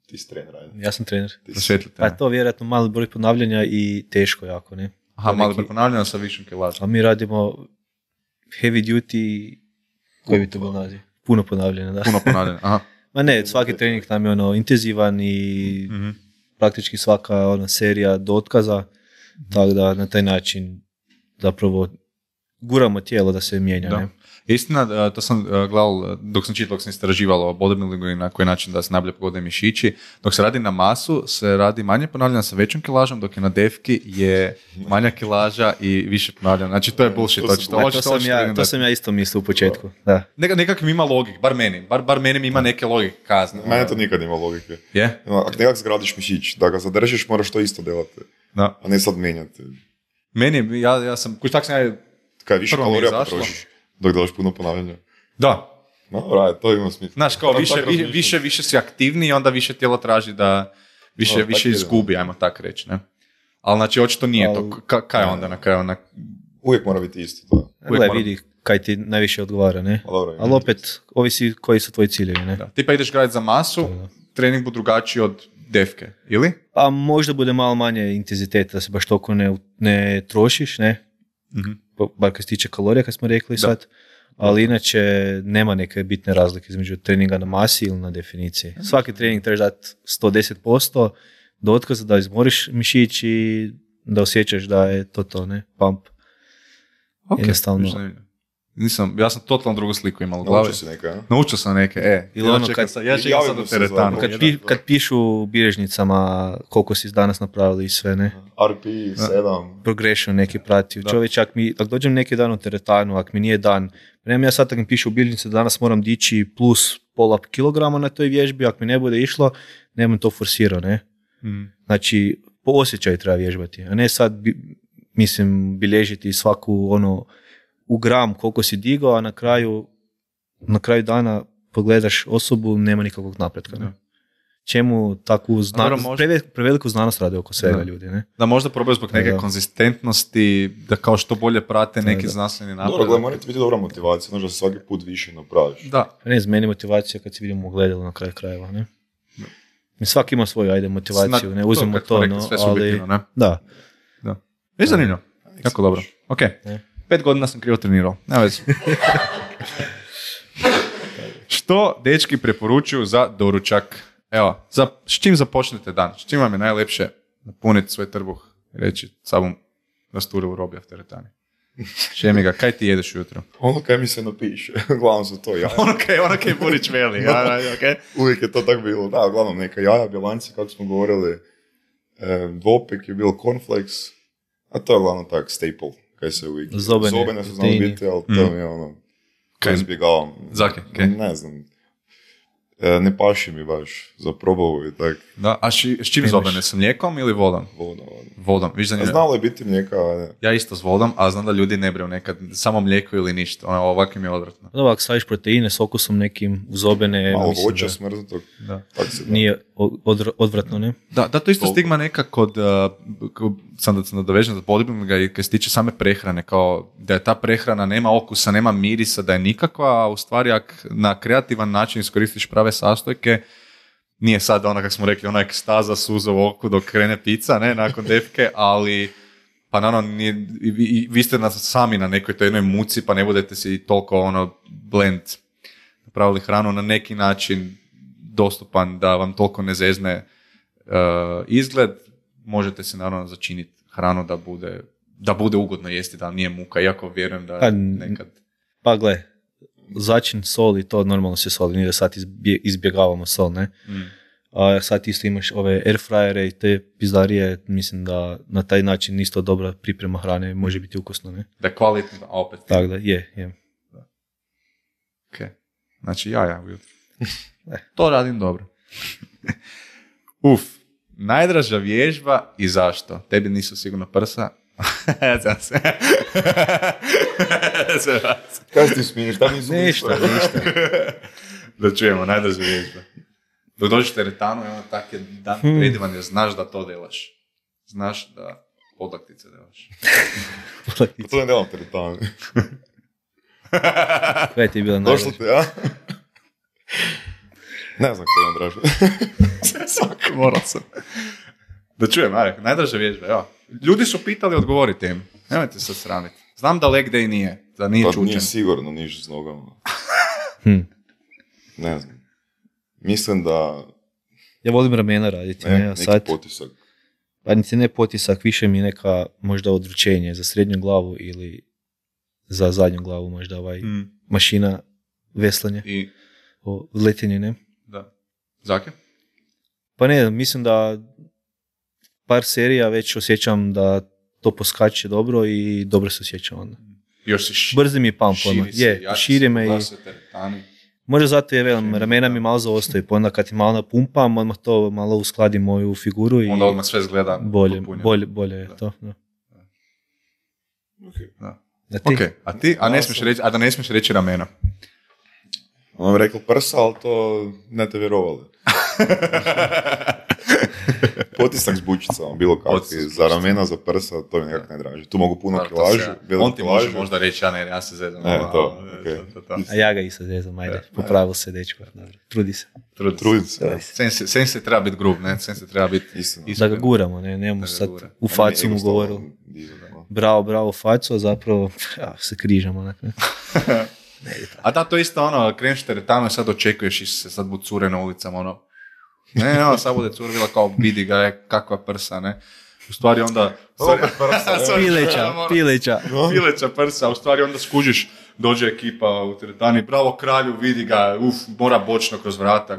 Ti si trener, ajde.
Ja sam trener.
Prosvjetlite.
Pa to vjerojatno mali broj ponavljanja i teško jako, ne?
Aha, mali broj ponavljanja sa višom kilažom.
A mi radimo heavy duty, koji bi to bilo naziv? Puno ponavljanja, da.
Puno ponavljanja, aha.
Ma ne, svaki trening nam je intenzivan i praktički svaka serija do otkaza, tako da na taj način zapravo guramo tijelo da se mijenja.
Da.
Ne?
Istina, to sam gledal, dok sam istraživalo o bodybuildingu i na koji način da se najbolje pogode mišići. Dok se radi na masu, se radi manje ponavljanja sa većom kilažom, dok je na defki je manja kilaža i više ponavljanja. Znači, to je bullshit.
To sam ja isto mislio u početku. Da.
Nekak mi ima logik, bar meni mi ima neke logike kazne.
Mene to nikad ima logike.
Je?
Ako nekak zgradiš mišić, da ga zadržiš, moraš to isto delati.
Da.
A ne sad mijenjati.
Meni, ja sam, tak sam ja
kaj više kalorija potrošiš dok delaš puno ponavljanja.
Da.
No, to ima smisla.
Znaš, kao više si aktivniji i onda više tijelo traži da više izgubi, ajmo tako reći, ne? Ali znači, očito nije to. Kaj onda na kraju?
Uvijek mora biti isto.
Vidi kaj ti najviše odgovara, ne? Ali opet, ovisi koji su tvoji ciljevi, ne?
Da. Ti pa ideš graditi za masu, trening bude drugačiji od defke, ili?
Pa možda bude malo manje intenziteta, da se baš toliko ne trošiš, ne? Bar kad se tiče kalorija, kad smo rekli sad, ali inače nema neke bitne razlike između treninga na masi ili na definiciji. Svaki trening trebaš dati 110% do otkaza da izmoriš mišić i da osjećaš da je to, ne? Pump. Jednostavno.
Ja sam totalno drugu sliku imao u glavi. Naučio sam neke,
Ili ono kad
sad u teretanu.
Kad pišu u bilježnicama koliko si danas napravili i sve, ne?
RP, 7.
Progression neki pratio. Čovječ, ako dođem neki dan u teretanu, ako mi nije dan, nemam ja sad da mi pišu u bilježnici da danas moram dići plus pola kilograma na toj vježbi, ako mi ne bude išlo, nemam to forsirao, ne? Znači, po osjećaju treba vježbati, a ne sad, bilježiti svaku u gram koliko si digao, a na kraju dana pogledaš osobu, nema nikakvog napretka. Ne? Čemu takvu znanost, preveliku znanost rade oko svega ljudi, ne?
Da možda probaju zbog neke konzistentnosti, da kao što bolje prate neki znanstveni napredak.
Dobro, mora ti biti dobra motivacija, znači da se svaki put više napraviš.
Da.
Ne, z meni motivacija kad se vidimo u gledalu na kraju krajeva, ne? Svaki ima svoju, motivaciju, ne? Uzmemo to,
sve subjektivno, ne?
Da.
Je zanimljivo. Jako dobro. Ok, 5 godina sam krivo trenirao, nema veze. Što dečki preporučuju za doručak? Evo, s čim započnete dan? S čim vam je najlepše napuniti svoj trbuh i reći sabom rasture u roblja v teretani? Šemi ga, kaj ti jedeš ujutro?
Ono kaj mi se napiše, uglavnom su to jaja.
ono kaj Burić veli. Okay.
Uvijek je to tako bilo. Da, uglavnom neka jaja, bjelanci, kako smo govorili, dvopek je bilo cornflakes, a to je uglavnom tak staple, kaj se uvijek... Zobene su znali biti, ali to mi je ono... Kaj izbjegavam.
Zake, okay.
Ne znam. Ne paši mi baš za probavu i tak.
Da, a s čim zobene? S mlijekom ili vodom? Vodom. Viš da
znalo je biti mlijeka, ne.
Ja isto s vodom, a znam da ljudi ne breju nekad samo mlijeko ili ništa. Ovako mi je odvratno.
Da, ovak staviš proteine s okusom nekim uzobene.
Malo voća smrznutog.
Nije odvratno, ne?
Da, to isto stigma neka kod sam da se nadovežem za bodybuildinga i kad se tiče same prehrane, kao da je ta prehrana nema okusa, nema mirisa, da je nikakva, a u stvari ako na kreativan način iskoristiš prave sastojke, nije sad ono, kako smo rekli, ona ekstaza, suza u oku dok krene pizza, ne, nakon defke, ali pa naravno, vi ste sami na nekoj toj jednoj muci, pa ne budete si toliko blend napravili hranu na neki način dostupan da vam toliko ne zezne izgled, možete se naravno začiniti hranu da bude ugodno jesti, da nije muka, iako vjerujem da nekad...
Pa gle, začin sol i to normalno se soli, nije da sad izbjegavamo sol, ne? A sad isto imaš ove air fryere i te pizdarije, mislim da na taj način isto dobra priprema hrane može biti ukusno, ne?
Da je kvalitetno, a opet.
Tako da, je.
Ok, znači ja ujutro. To radim dobro. Najdraža vježba i zašto? Tebi nisu sigurno prsa.
Kaj ti smiješ?
Ništa.
Da čujemo, najdraža vježba. Dok dođeš teretanu i ono tak je dan predivan jer znaš da to delaš. Znaš da podlaktice delaš.
To ne delam teretanu.
Kaj ti je bila najdraža?
Došlo te, ja? Ne znam koji je najdraža.
Svaki moral sam. Da čujem, Marek, najdraža vježba, evo. Ljudi su pitali, odgovorite im. Nemojte se sramiti. Znam da leg day nije, da nije čučen.
Pa nije sigurno niš s nogama. Ne znam. Mislim da...
Ja volim ramena raditi.
Neki sad... potisak.
Pa niti ne potisak, više mi neka možda odručenje za srednju glavu ili za zadnju glavu možda mašina veslanje.
I...
letenje, ne?
Da. Zake?
Pa ne, mislim da par serija već osjećam da to poskače dobro i dobro se osjećam onda.
Još si
brzi mi je pump, širi me i... Možda zato je ramena mi malo zaostaju, pa onda kad ti malo napumpam, odmah to malo uskladi moju figuru i...
Onda odmah sve izgleda
bolje je to. Da.
Ok, a ti? A da ne smiješ reći ramena.
Ono bi rekao prsa, ali to ne te vjerovali. Potisak s bučicama, bilo kakvi, za ramena, za prsa, to mi nekako najdraže. Tu mogu puno kilažu.
On ti može možda reći, ja se zezam.
To.
A ja ga i se zezam, ajde, popravil se dečko. Trudi se.
Sen se treba biti grub, ne? Sen se treba biti iskren.
Da ga guramo, ne? Nemamo sad u facu mu govorili. Bravo, u facu, a zapravo se križamo. Onak, ne?
A da, to isto kreneš teretanu i sad očekuješ i se sad bude cure na ulicama, Ne, sad bude curvila kao vidi ga, kakva prsa, ne. U stvari onda... Pileća prsa, u stvari onda skužiš, dođe ekipa u teretani, bravo kralju, vidi ga, mora bočno kroz vrata,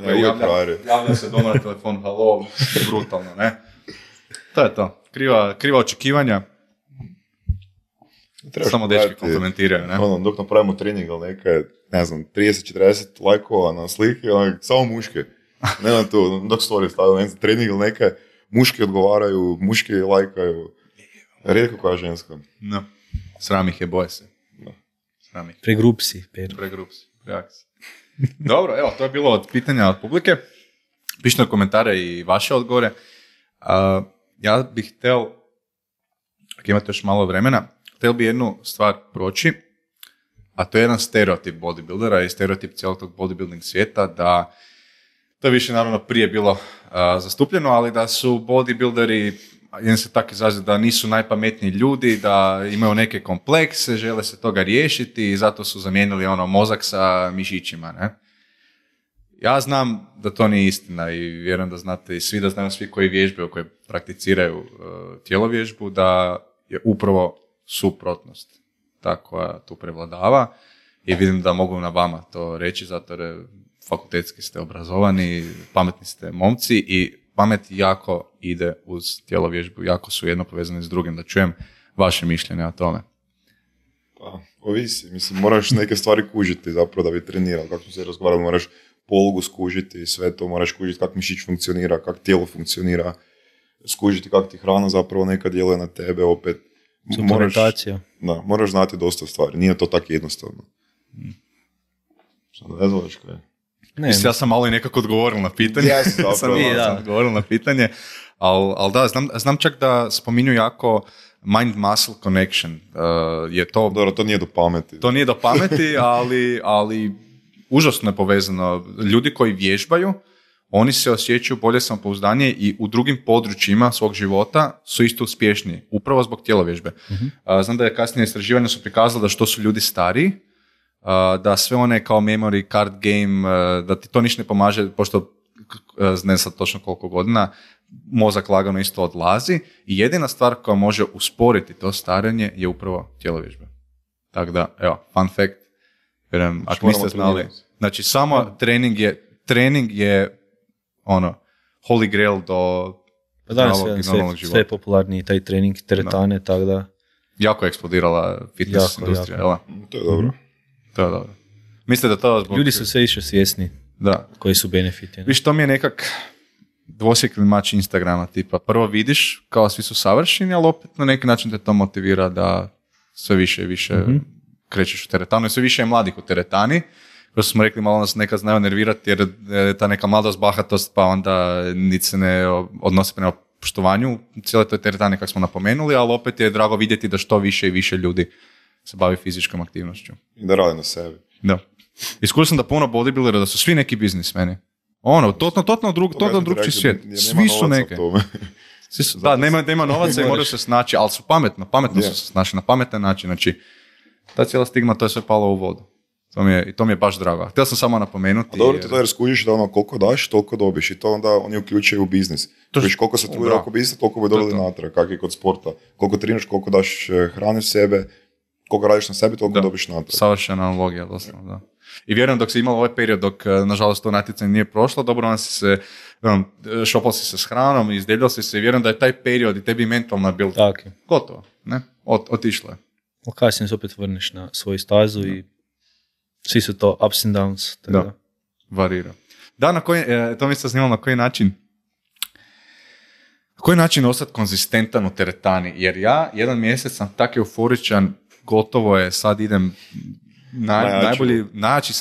javlja se doma na telefon, halo, brutalno, ne. To je to, kriva očekivanja. Samo dečki komplementiraju, ne?
Dok napravimo trening, ali neka je, 30-40 lajkova na slike, samo muške. Nema tu, dok story stavio, trening ili neka, muški odgovaraju, muški lajkaju. Rijetko koja ženska.
No. Sram ih je, boje se. No.
Pregrup si.
Dobro, evo, to je bilo od pitanja od publike. Pišite na komentare i vaše odgovore. Ja bih htio, ako imate još malo vremena, htio bi jednu stvar proći, a to je jedan stereotip bodybuildera i stereotip cijelog tog bodybuilding svijeta, da to je više naravno prije bilo zastupljeno, ali da su bodybuilderi jedan se tako izrazi da nisu najpametniji ljudi, da imaju neke komplekse, žele se toga riješiti i zato su zamijenili mozak sa mišićima, ne? Ja znam da to nije istina i vjerujem da znate i svi, da znaju svi koji vježbaju, koji prakticiraju tjelovježbu, da je upravo suprotnost ta koja tu prevladava i vidim da mogu na vama to reći, zato jer fakultetski ste obrazovani, pametni ste momci i pamet jako ide uz tjelovježbu, jako su jedno povezani s drugim, da čujem vaše mišljenje o tome.
Pa, ovisi, mislim, moraš neke stvari kužiti zapravo da bi trenirao, kako smo se razgovarali, moraš polugu skužiti, sve to, moraš kužiti kako mišić funkcionira, kako tijelo funkcionira, skužiti kako ti hrana zapravo nekad djeluje na tebe, opet moraš znati dosta stvari, nije to tako jednostavno. Šta ne znaš kaj?
Mislim, ja sam malo i nekako odgovoril na pitanje. Sam odgovoril na pitanje, ali da, znam čak da spominju jako mind-muscle connection. Je to...
Dobro, to nije do pameti.
To nije do pameti, ali užasno je povezano. Ljudi koji vježbaju, oni se osjećaju bolje samopouzdanije i u drugim područjima svog života su isto uspješniji, upravo zbog tjelovježbe. Uh-huh. Znam da je kasnije istraživanja su prikazala da što su ljudi stariji, da sve one kao memory card game, da ti to ništa ne pomaže, pošto ne sad točno koliko godina, mozak lagano isto odlazi i jedina stvar koja može usporiti to starenje je upravo tjelovježba. Tako da, evo, fun fact, vjerujem, ako niste znali, znači samo trening je holy grail do zdravog i normalnog života.
Sve je popularniji taj trening, teretane, tako da...
Jako je eksplodirala fitness industrija, jel?
To je dobro.
To je dobro. Mislite da to zbog...
Ljudi su sve više svjesni koji su benefiti.
Viš, to mi je nekak dvosjekli mač Instagrama, tipa prvo vidiš kao svi su savršeni, ali opet na neki način te to motivira da sve više i više krećeš u teretanu i sve više je mladih u teretani. Kao smo rekli, malo nas nekad znaju nervirati jer je ta neka mladost, bahatost, pa onda niti se ne odnosi prema poštovanju cijele toj teretani kako smo napomenuli, ali opet je drago vidjeti da što više i više ljudi se bavi fizičkom aktivnošću.
I da radi na sebi.
Da. Iskušao sam da puno bodybuildera, da su svi neki biznismeni. Totalno drugčiji svijet. Svi su neke. Da, nema novaca i moraju se snaći, ali su pametno su se snaći na pametan način. Znači, ta cijela stigma, to je sve palo u vodu. To mi je baš drago. Htio sam samo napomenuti.
A dobro ti to jer skužiš da koliko daš, toliko dobiš i to onda oni uključuju u biznis. Znači, koliko se trude oko biznisa, toliko bi dobili natrag, kak je kod sporta. Koliko treniraš, koliko daš hrane sebe, koliko radiš na sebi, toliko dobiš natrag.
Savršena analogija, doslovno, da. I vjerujem dok si imala ovaj period, dok nažalost to natjecanje nije prošlo, dobro on si se, šopal si se s hranom, izdjeljao si se i vjerujem da je taj period i tebi mentalna bil gotovo, ne? Otišlo je.
Kasnije se opet vrneš na svoju stazu i svi su to ups and downs.
Da, varira. Da, to mi se snimalo na koji način ostati konzistentan u teretani, jer ja jedan mjesec sam tako euforičan, gotovo je, sad idem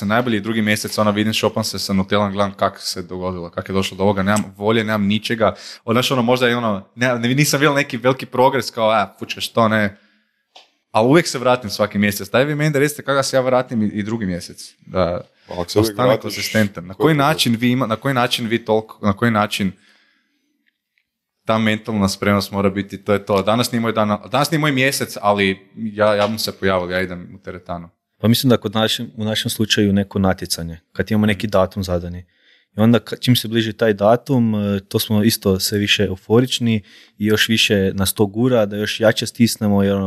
najbolji drugi mjesec, vidim, šopam se sa Nutellom, gledam kako se dogodilo, kako je došlo do ovoga, nemam volje, nemam ničega, možda je nisam vidio neki veliki progres, kao, fučka, što ne, ali uvijek se vratim svaki mjesec, daj vi meni da recite kako se ja vratim i drugi mjesec, da ostane konzistentan, na koji način ta mentalna spremnost mora biti, to je to, danas nije moj mjesec, ali ja mu se pojavio, ja idem u teretanu.
Pa mislim da u našem slučaju neko natjecanje, kad imamo neki datum zadani. I onda čim se bliži taj datum, to smo isto sve više euforični i još više nas to gura, da još jače stisnemo jer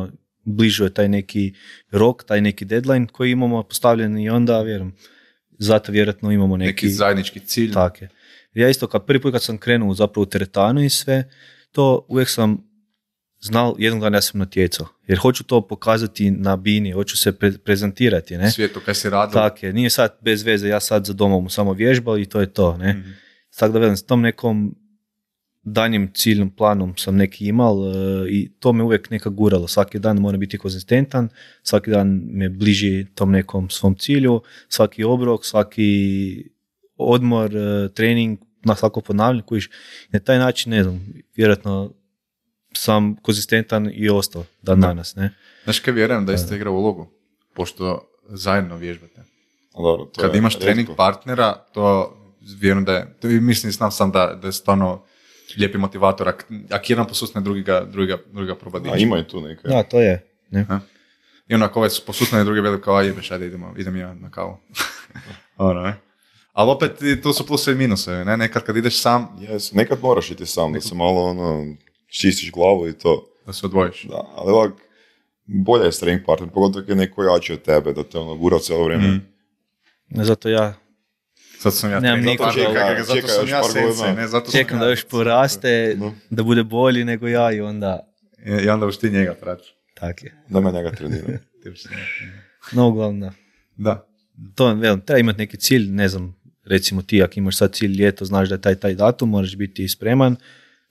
bližu je taj neki rok, taj neki deadline koji imamo postavljen i onda zato vjerojatno imamo neki
zajednički cilj.
Tako je. Ja isto prvi put kad sam krenuo zapravo u teretanu i sve, to uvijek sam znal, jednog dana ja sam natjecao. Jer hoću to pokazati na bini, hoću se prezentirati. Ne?
Svijetu kaj si radio.
Tako je, nije sad bez veze, ja sad za domom samo vježbao i to je to. Ne? Mm-hmm. Tako da velim, s tom nekom danjim ciljnom planom sam neki imal i to me uvijek neka guralo. Svaki dan mora biti konzistentan, svaki dan me bliži tom nekom svom cilju, svaki obrok, svaki odmor, trening, na svako ponavljanje kojiš. Na taj način, ne znam, vjerojatno sam konzistentan i ostao dan danas, ne?
Znaš kaj vjerujem da jeste igra ulogu, pošto zajedno vježbate.
Dobro,
kad imaš trening partnera, to vjerujem da je, mislim sam da je stvarno lijepi motivator. Ako jedan posusne, druga proba dići.
A ima i tu neke.
Da, to je. Ne?
I onako ovaj posusne, drugi veli kao, jebeš, ajde idem ja na kavu. Ono, ne? Ali opet tu su pluse i minuse, ne? Nekad kad ideš sam...
Yes. Nekad moraš iti sam, da se malo čistiš glavu i to.
Da se odvojiš.
Da, ali ovak, bolje je strength partner, pogotovo kad je neko jači od tebe, da te gura cijelo vrijeme.
Zato ja
Sad sam ja
nemam
trening partner,
nikoga.
zato sam ja sensei, ne? Zato sam
Čekam
ja-
da još poraste, da bude bolji nego ja i onda
I onda už ti njega praću.
tak je.
Da me njega treniram.
No, uglavnom da.
Da.
To, velim, treba imati neki cilj, ne znam, recimo ti ako imaš sad cilj ljeto, znaš da je taj datum, moraš biti spreman,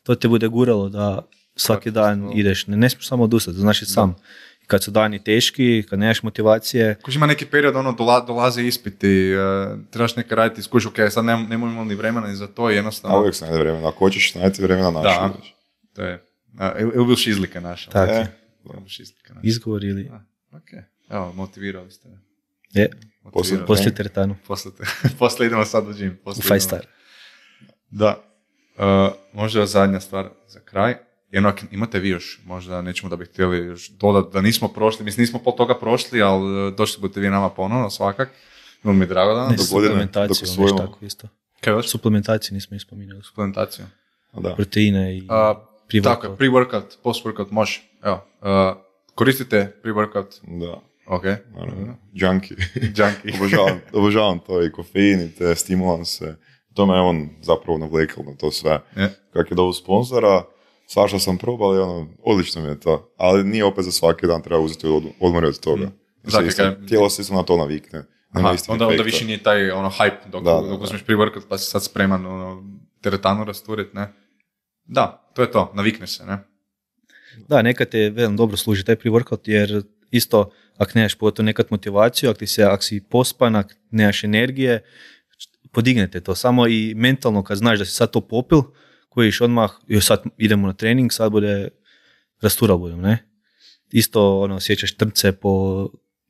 to te bude guralo da svaki dan ideš, ne smiješ samo odustati, znaš i sam. Kad su dani teški, kad nemaš motivacije.
Kuži ima neki period, dolaze ispiti, trebaš neka raditi, skuži, ok, sad nemamo ni vremena ni za to, jednostavno.
A uvijek se najde vremena, ako hoćeš najti vremena naši.
Da, to je, ili bil šizlike naša.
Tak je.
Šizlike naša.
Izgovor ili...
Ok, evo, motivirali ste me.
Je,
Motivirali.
poslije teretanu.
Poslije idemo sad u gym.
U 5 star.
Da. Možda zadnja stvar za kraj. Jedno, ako imate vi još, možda nećemo da bi htjeli još dodati, da nismo prošli, mislim nismo pol toga prošli, ali došli budete vi nama ponovno svakak. Bilo mi je drago da nam
Ne,
dok godine,
suplementaciju,
dok
nešto
usvojimo.
tako isto.
Kaj još?
Suplementaciju nismo ispominjali.
Suplementaciju.
Da.
Proteine i
Tako je, pre-workout, post-workout može. Evo, koristite pre-workout.
Da.
Ok.
Naravno. Junkie.
Junkie.
obožavam to i kofein i te stimulanse. To me je on zapravo navlekao na to sve. Kak je dovu sponzora, svašta sam probao i odlično mi je to. Ali nije opet za svaki dan, treba uzeti odmori od toga. Tijelo se isto na to navikne.
Aha, onda više nije taj hype dok uzmeš pre-workout pa si sad spreman teretanu rasturit, ne? Da, to je to, navikneš se, ne?
Da, nekad te velim dobro služi taj pre-workout jer isto ako nemaš pogotovo nekad motivaciju, ako si pospan, ako nemaš energije, podignete to. Samo i mentalno kad znaš da si sad to popil, kojiš odmah, još sad idemo na trening, sad bude rastural budem, ne? Isto osjećaš trce po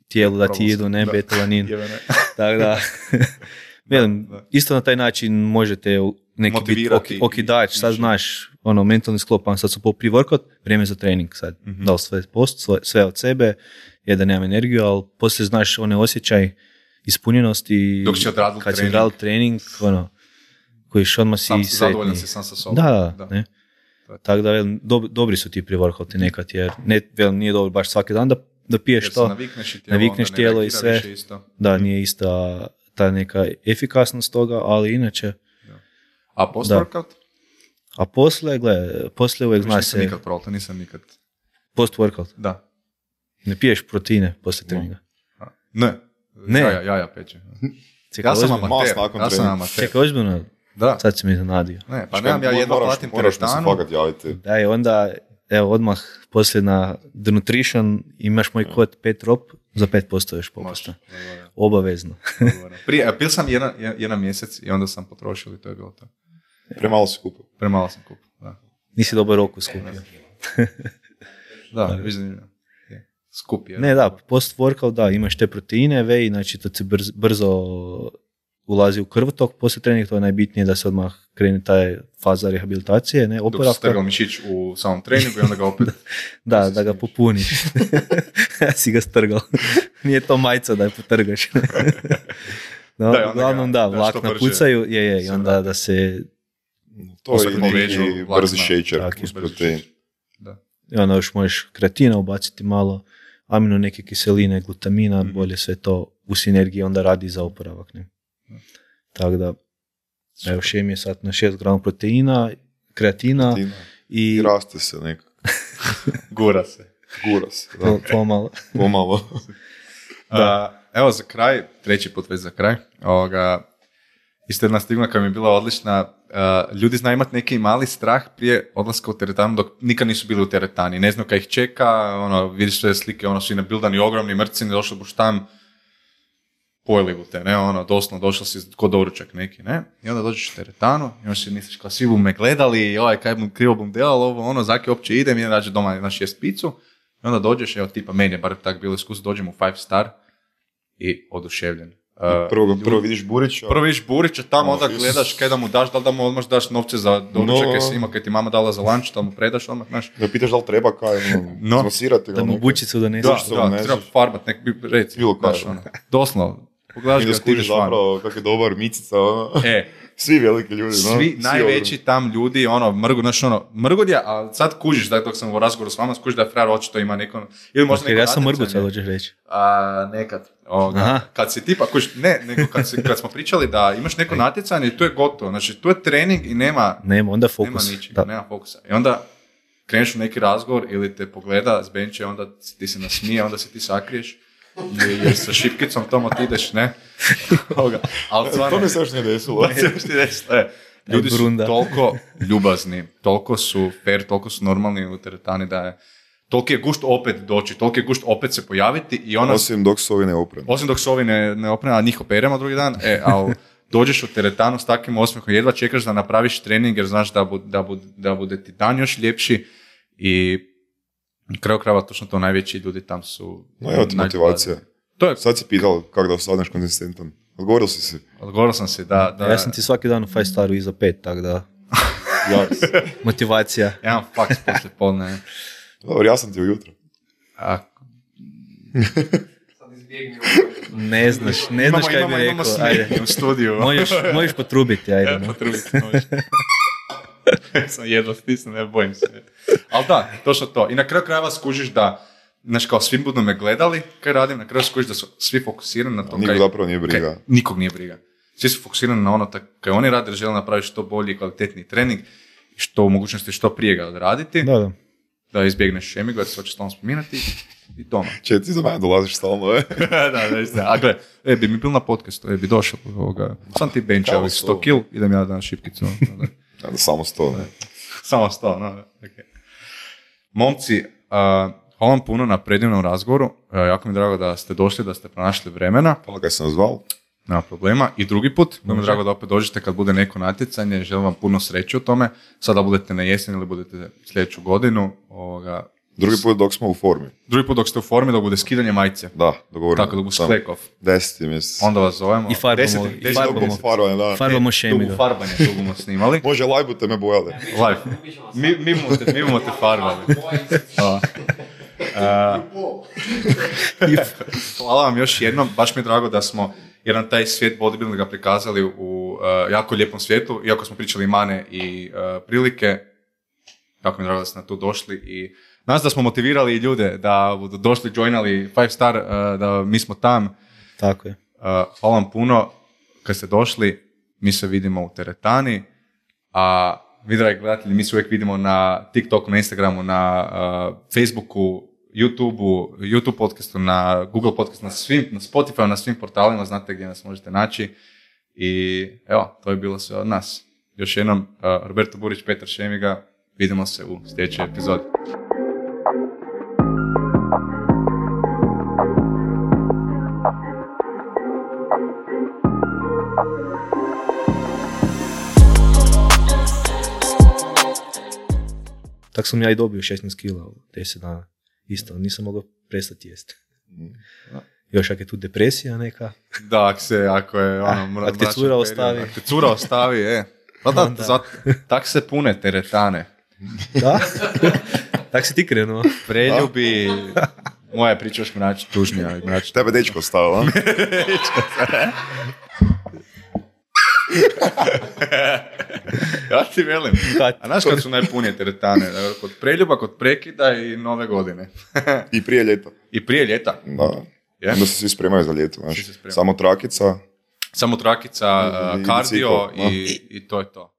tijelu da ti idu, ne, betalanin. Tako da, velim, isto na taj način možete neki biti okidač, sad znaš, mentalni sklop, sad su po pre-workout, vrijeme za trening sad, dao sve post, sve od sebe, je da nemam energiju, ali poslije znaš osjećaj ispunjenosti,
dok si odradil
kad si odradil trening, koji odmah si sretni.
Zadovoljan si sam sa sobom.
Da. Ne? Tako da, velim, dobri su ti pre-workouti nekad, jer velim, nije dobro baš svaki dan da piješ to, navikneš tijelo i sve, da, nije ista ta neka efikasnost toga, ali inače...
A post-workout?
A poslije uvijek zna se...
Nisam nikad.
Post-workout?
Da.
Ne piješ proteine poslije treninga?
Ne. Ja pećem. Ja sam amater.
Čekaj, ozbiljno?
Da.
Sad si mi zanadio.
Ne, pa nemam ja jedva platim teretanu.
Moraš mi se fakat javiti.
Da, i onda, evo, odmah poslije na The Nutrition imaš moj kod 5 ROP, za 5% još popusta. Obavezno.
Pil sam jedan mjesec i onda sam potrošio i to je bilo to.
Premalo si kupio.
Premalo sam kupio, da.
Nisi dobar roku skupio.
Da, vidim. Skup je.
Ne, da, post-workout, da, imaš te proteine, whey, znači to se brzo ulazi u krvotok, poslije treninga to je najbitnije da se odmah krene taj faza rehabilitacije, ne, oporavka.
Dok si strgal mišić u samom treningu i onda ga opet...
da ga popuniš. Ja si ga strgal. Nije to majca da je potrgaš. No, uglavnom da, vlakna pucaju, i onda da se...
To je neki brzi šećer uz protein.
I onda još možeš kreatina ubaciti malo, amino neke kiseline, glutamina, bolje sve to u sinergiji onda radi za oporavak. Ne? Tako da, evo šem je sad na 6 grama proteina, kreatina i
raste se nekako.
Gura se.
Pomalo.
Evo za kraj, treći put već za kraj, isto jedna stigma koja mi je bila odlična, ljudi znaju imati neki mali strah prije odlaska u teretanu dok nikad nisu bili u teretani, ne znaju kaj ih čeka, vidiš sve slike, su nabildani ogromni mrcini, došli buš tam, pojeli bu te, ne, doslovno došao si kod doručak neki, ne, i onda dođeš u teretanu, i onda si misliš kao svi bu me gledali, kaj bum krivo bum delal, zaki uopće idem, i rađe doma na 6 picu, i onda dođeš, evo tipa meni je bar tako bilo iskustvo, dođem u 5 star i oduševljen.
Prvo vidiš Burića.
Prvo vidiš Burića, tamo onda gledaš kaj da mu daš, da li da mu odmah daš novce za doručak kaj si ima, kaj ti mama dala za lunch, da mu predaš odmah, znaš.
Da pitaš da li treba kaj, zmasirati ga.
Da mu bučicu donesi.
Da, treba farbat, nek bi reci.
Bilo kaj.
Doslovno. Pogledaš ga, ti ideš van.
Zapravo, kak je dobar Micica, svi veliki ljudi,
svi najveći tam ljudi, mrgudja, a sad kužiš, da dok sam u razgovoru s vama, skužiš da je frajer očito ima neko, ili možda neko
ja sam mrgud, sad hoćeš reći.
Nekad. Kad si tipa, nego kad smo pričali da imaš neko natjecanje, to je gotovo, znači to je trening i nema
onda fokus.
Nema ničega, nema fokusa. I onda kreneš u neki razgovor ili te pogleda s benče, onda ti se nasmije, onda se ti sakriješ. Jer sa šipkicom tomu ti ideš, ne?
To mi se još nije desilo.
Ljudi su toliko ljubazni, toliko su fair, toliko su normalni u teretani da je toliki je gušt opet doći, toliki je gušt opet se pojaviti i ona...
Osim dok su ovi neopreni.
Osim dok su ovi neopreni, a njih operemo drugi dan, ali dođeš u teretanu s takvim osmehom, jedva čekaš da napraviš trening jer znaš da bude ti dan još ljepši i na kraju krajeva točno to najveći ljudi tam su...
No evo ti motivacija. Sad si pitao kako da ostaneš konzistentan. Odgovorio si si.
Odgovorio sam si, da.
Ja sam ti svaki dan u 5 staru iza 5, tako da... Motivacija.
Ja imam faks poslije podne.
Dobro, ja sam ti ujutro.
Sad izbjegni
Ne znaš kaj bi rekao. Ajde.
U studiju.
Možeš potrubiti, ajde.
Potrubiti, možeš. Sam jedva stisnu, ne bojim se. Ali da, točno to. I na kraju krajeva skužiš da, znaš, kao svi budu me gledali kaj radim, na kraju skužiš da su svi fokusirani na to.
Nikog zapravo nije briga.
Nikog nije briga. Svi su fokusirani na ono kaj oni rade, jer žele napraviti što bolji i kvalitetniji trening i što u mogućnosti što prije ga odraditi. Da izbjegneš šemigu, da se hoće stalno spominati i doma.
Če, ti za mene dolaziš stalno,
da. A gle, bi mi bil na podcastu, bi došao ovoga. Sam ti benča ovih 100 kil, idem ja na šipkicu.
Samo 100, ne.
Samo 100, no. Okay. Momci, hvala vam puno na predivnom razgovoru. Jako mi je drago da ste došli, da ste pronašli vremena.
Hvala kad sam zvao.
Nema problema. I drugi put, mi je drago da opet dođete kad bude neko natjecanje. Želim vam puno sreće u tome. Sada budete na jesen ili budete sljedeću godinu.
Drugi put dok smo u formi.
Drugi put dok ste u formi, dok bude skidanje majice.
Da, dogovorimo.
Tako da bude sklekov.
10. mjesec.
Onda vas zovemo.
I farbamo šemigu.
Tu farbanje tu bomo snimali.
Može, live bute me bojali.
Live. Mi bomo te farbali. Hvala vam još jednom. Baš mi je drago da smo jedan taj svijet bodybuildinga prikazali u jako lijepom svijetu. Iako smo pričali mane i prilike. Jako mi je drago da ste na to došli i nas da smo motivirali ljude da budu došli, joinali 5 star, da mi smo tam.
Tako je.
Hvala vam puno kad ste došli, mi se vidimo u teretani, a vi dragi gledatelji, mi se uvijek vidimo na TikToku, na Instagramu, na Facebooku, YouTube podcastu, na Google podcastu, na Spotify, na svim portalima, znate gdje nas možete naći i evo, to je bilo sve od nas. Još jednom, Roberto Burić, Petar Šemiga, vidimo se u sljedećoj epizodi.
Tako sam ja i dobio 16 kila u 10 dana. Isto, nisam mogao prestati jesti. Još ako je tu depresija neka.
Da, ako je ono...
Ako te cura ostavi.
Ako te cura ostavi, tak se pune teretane.
Da? Tak si ti krenuo.
Preljubi... Moja priča još mrač, tužnija.
Tebe dečko ostao, a?
Ja ti velim. A znaš kad su najpunije teretane? Kod preljuba, kod prekida i nove godine.
I prije ljeta.
I prije ljeta?
Da. Onda se svi spremaju za ljeto. Samo trakica.
Samo trakica, kardio i to je to.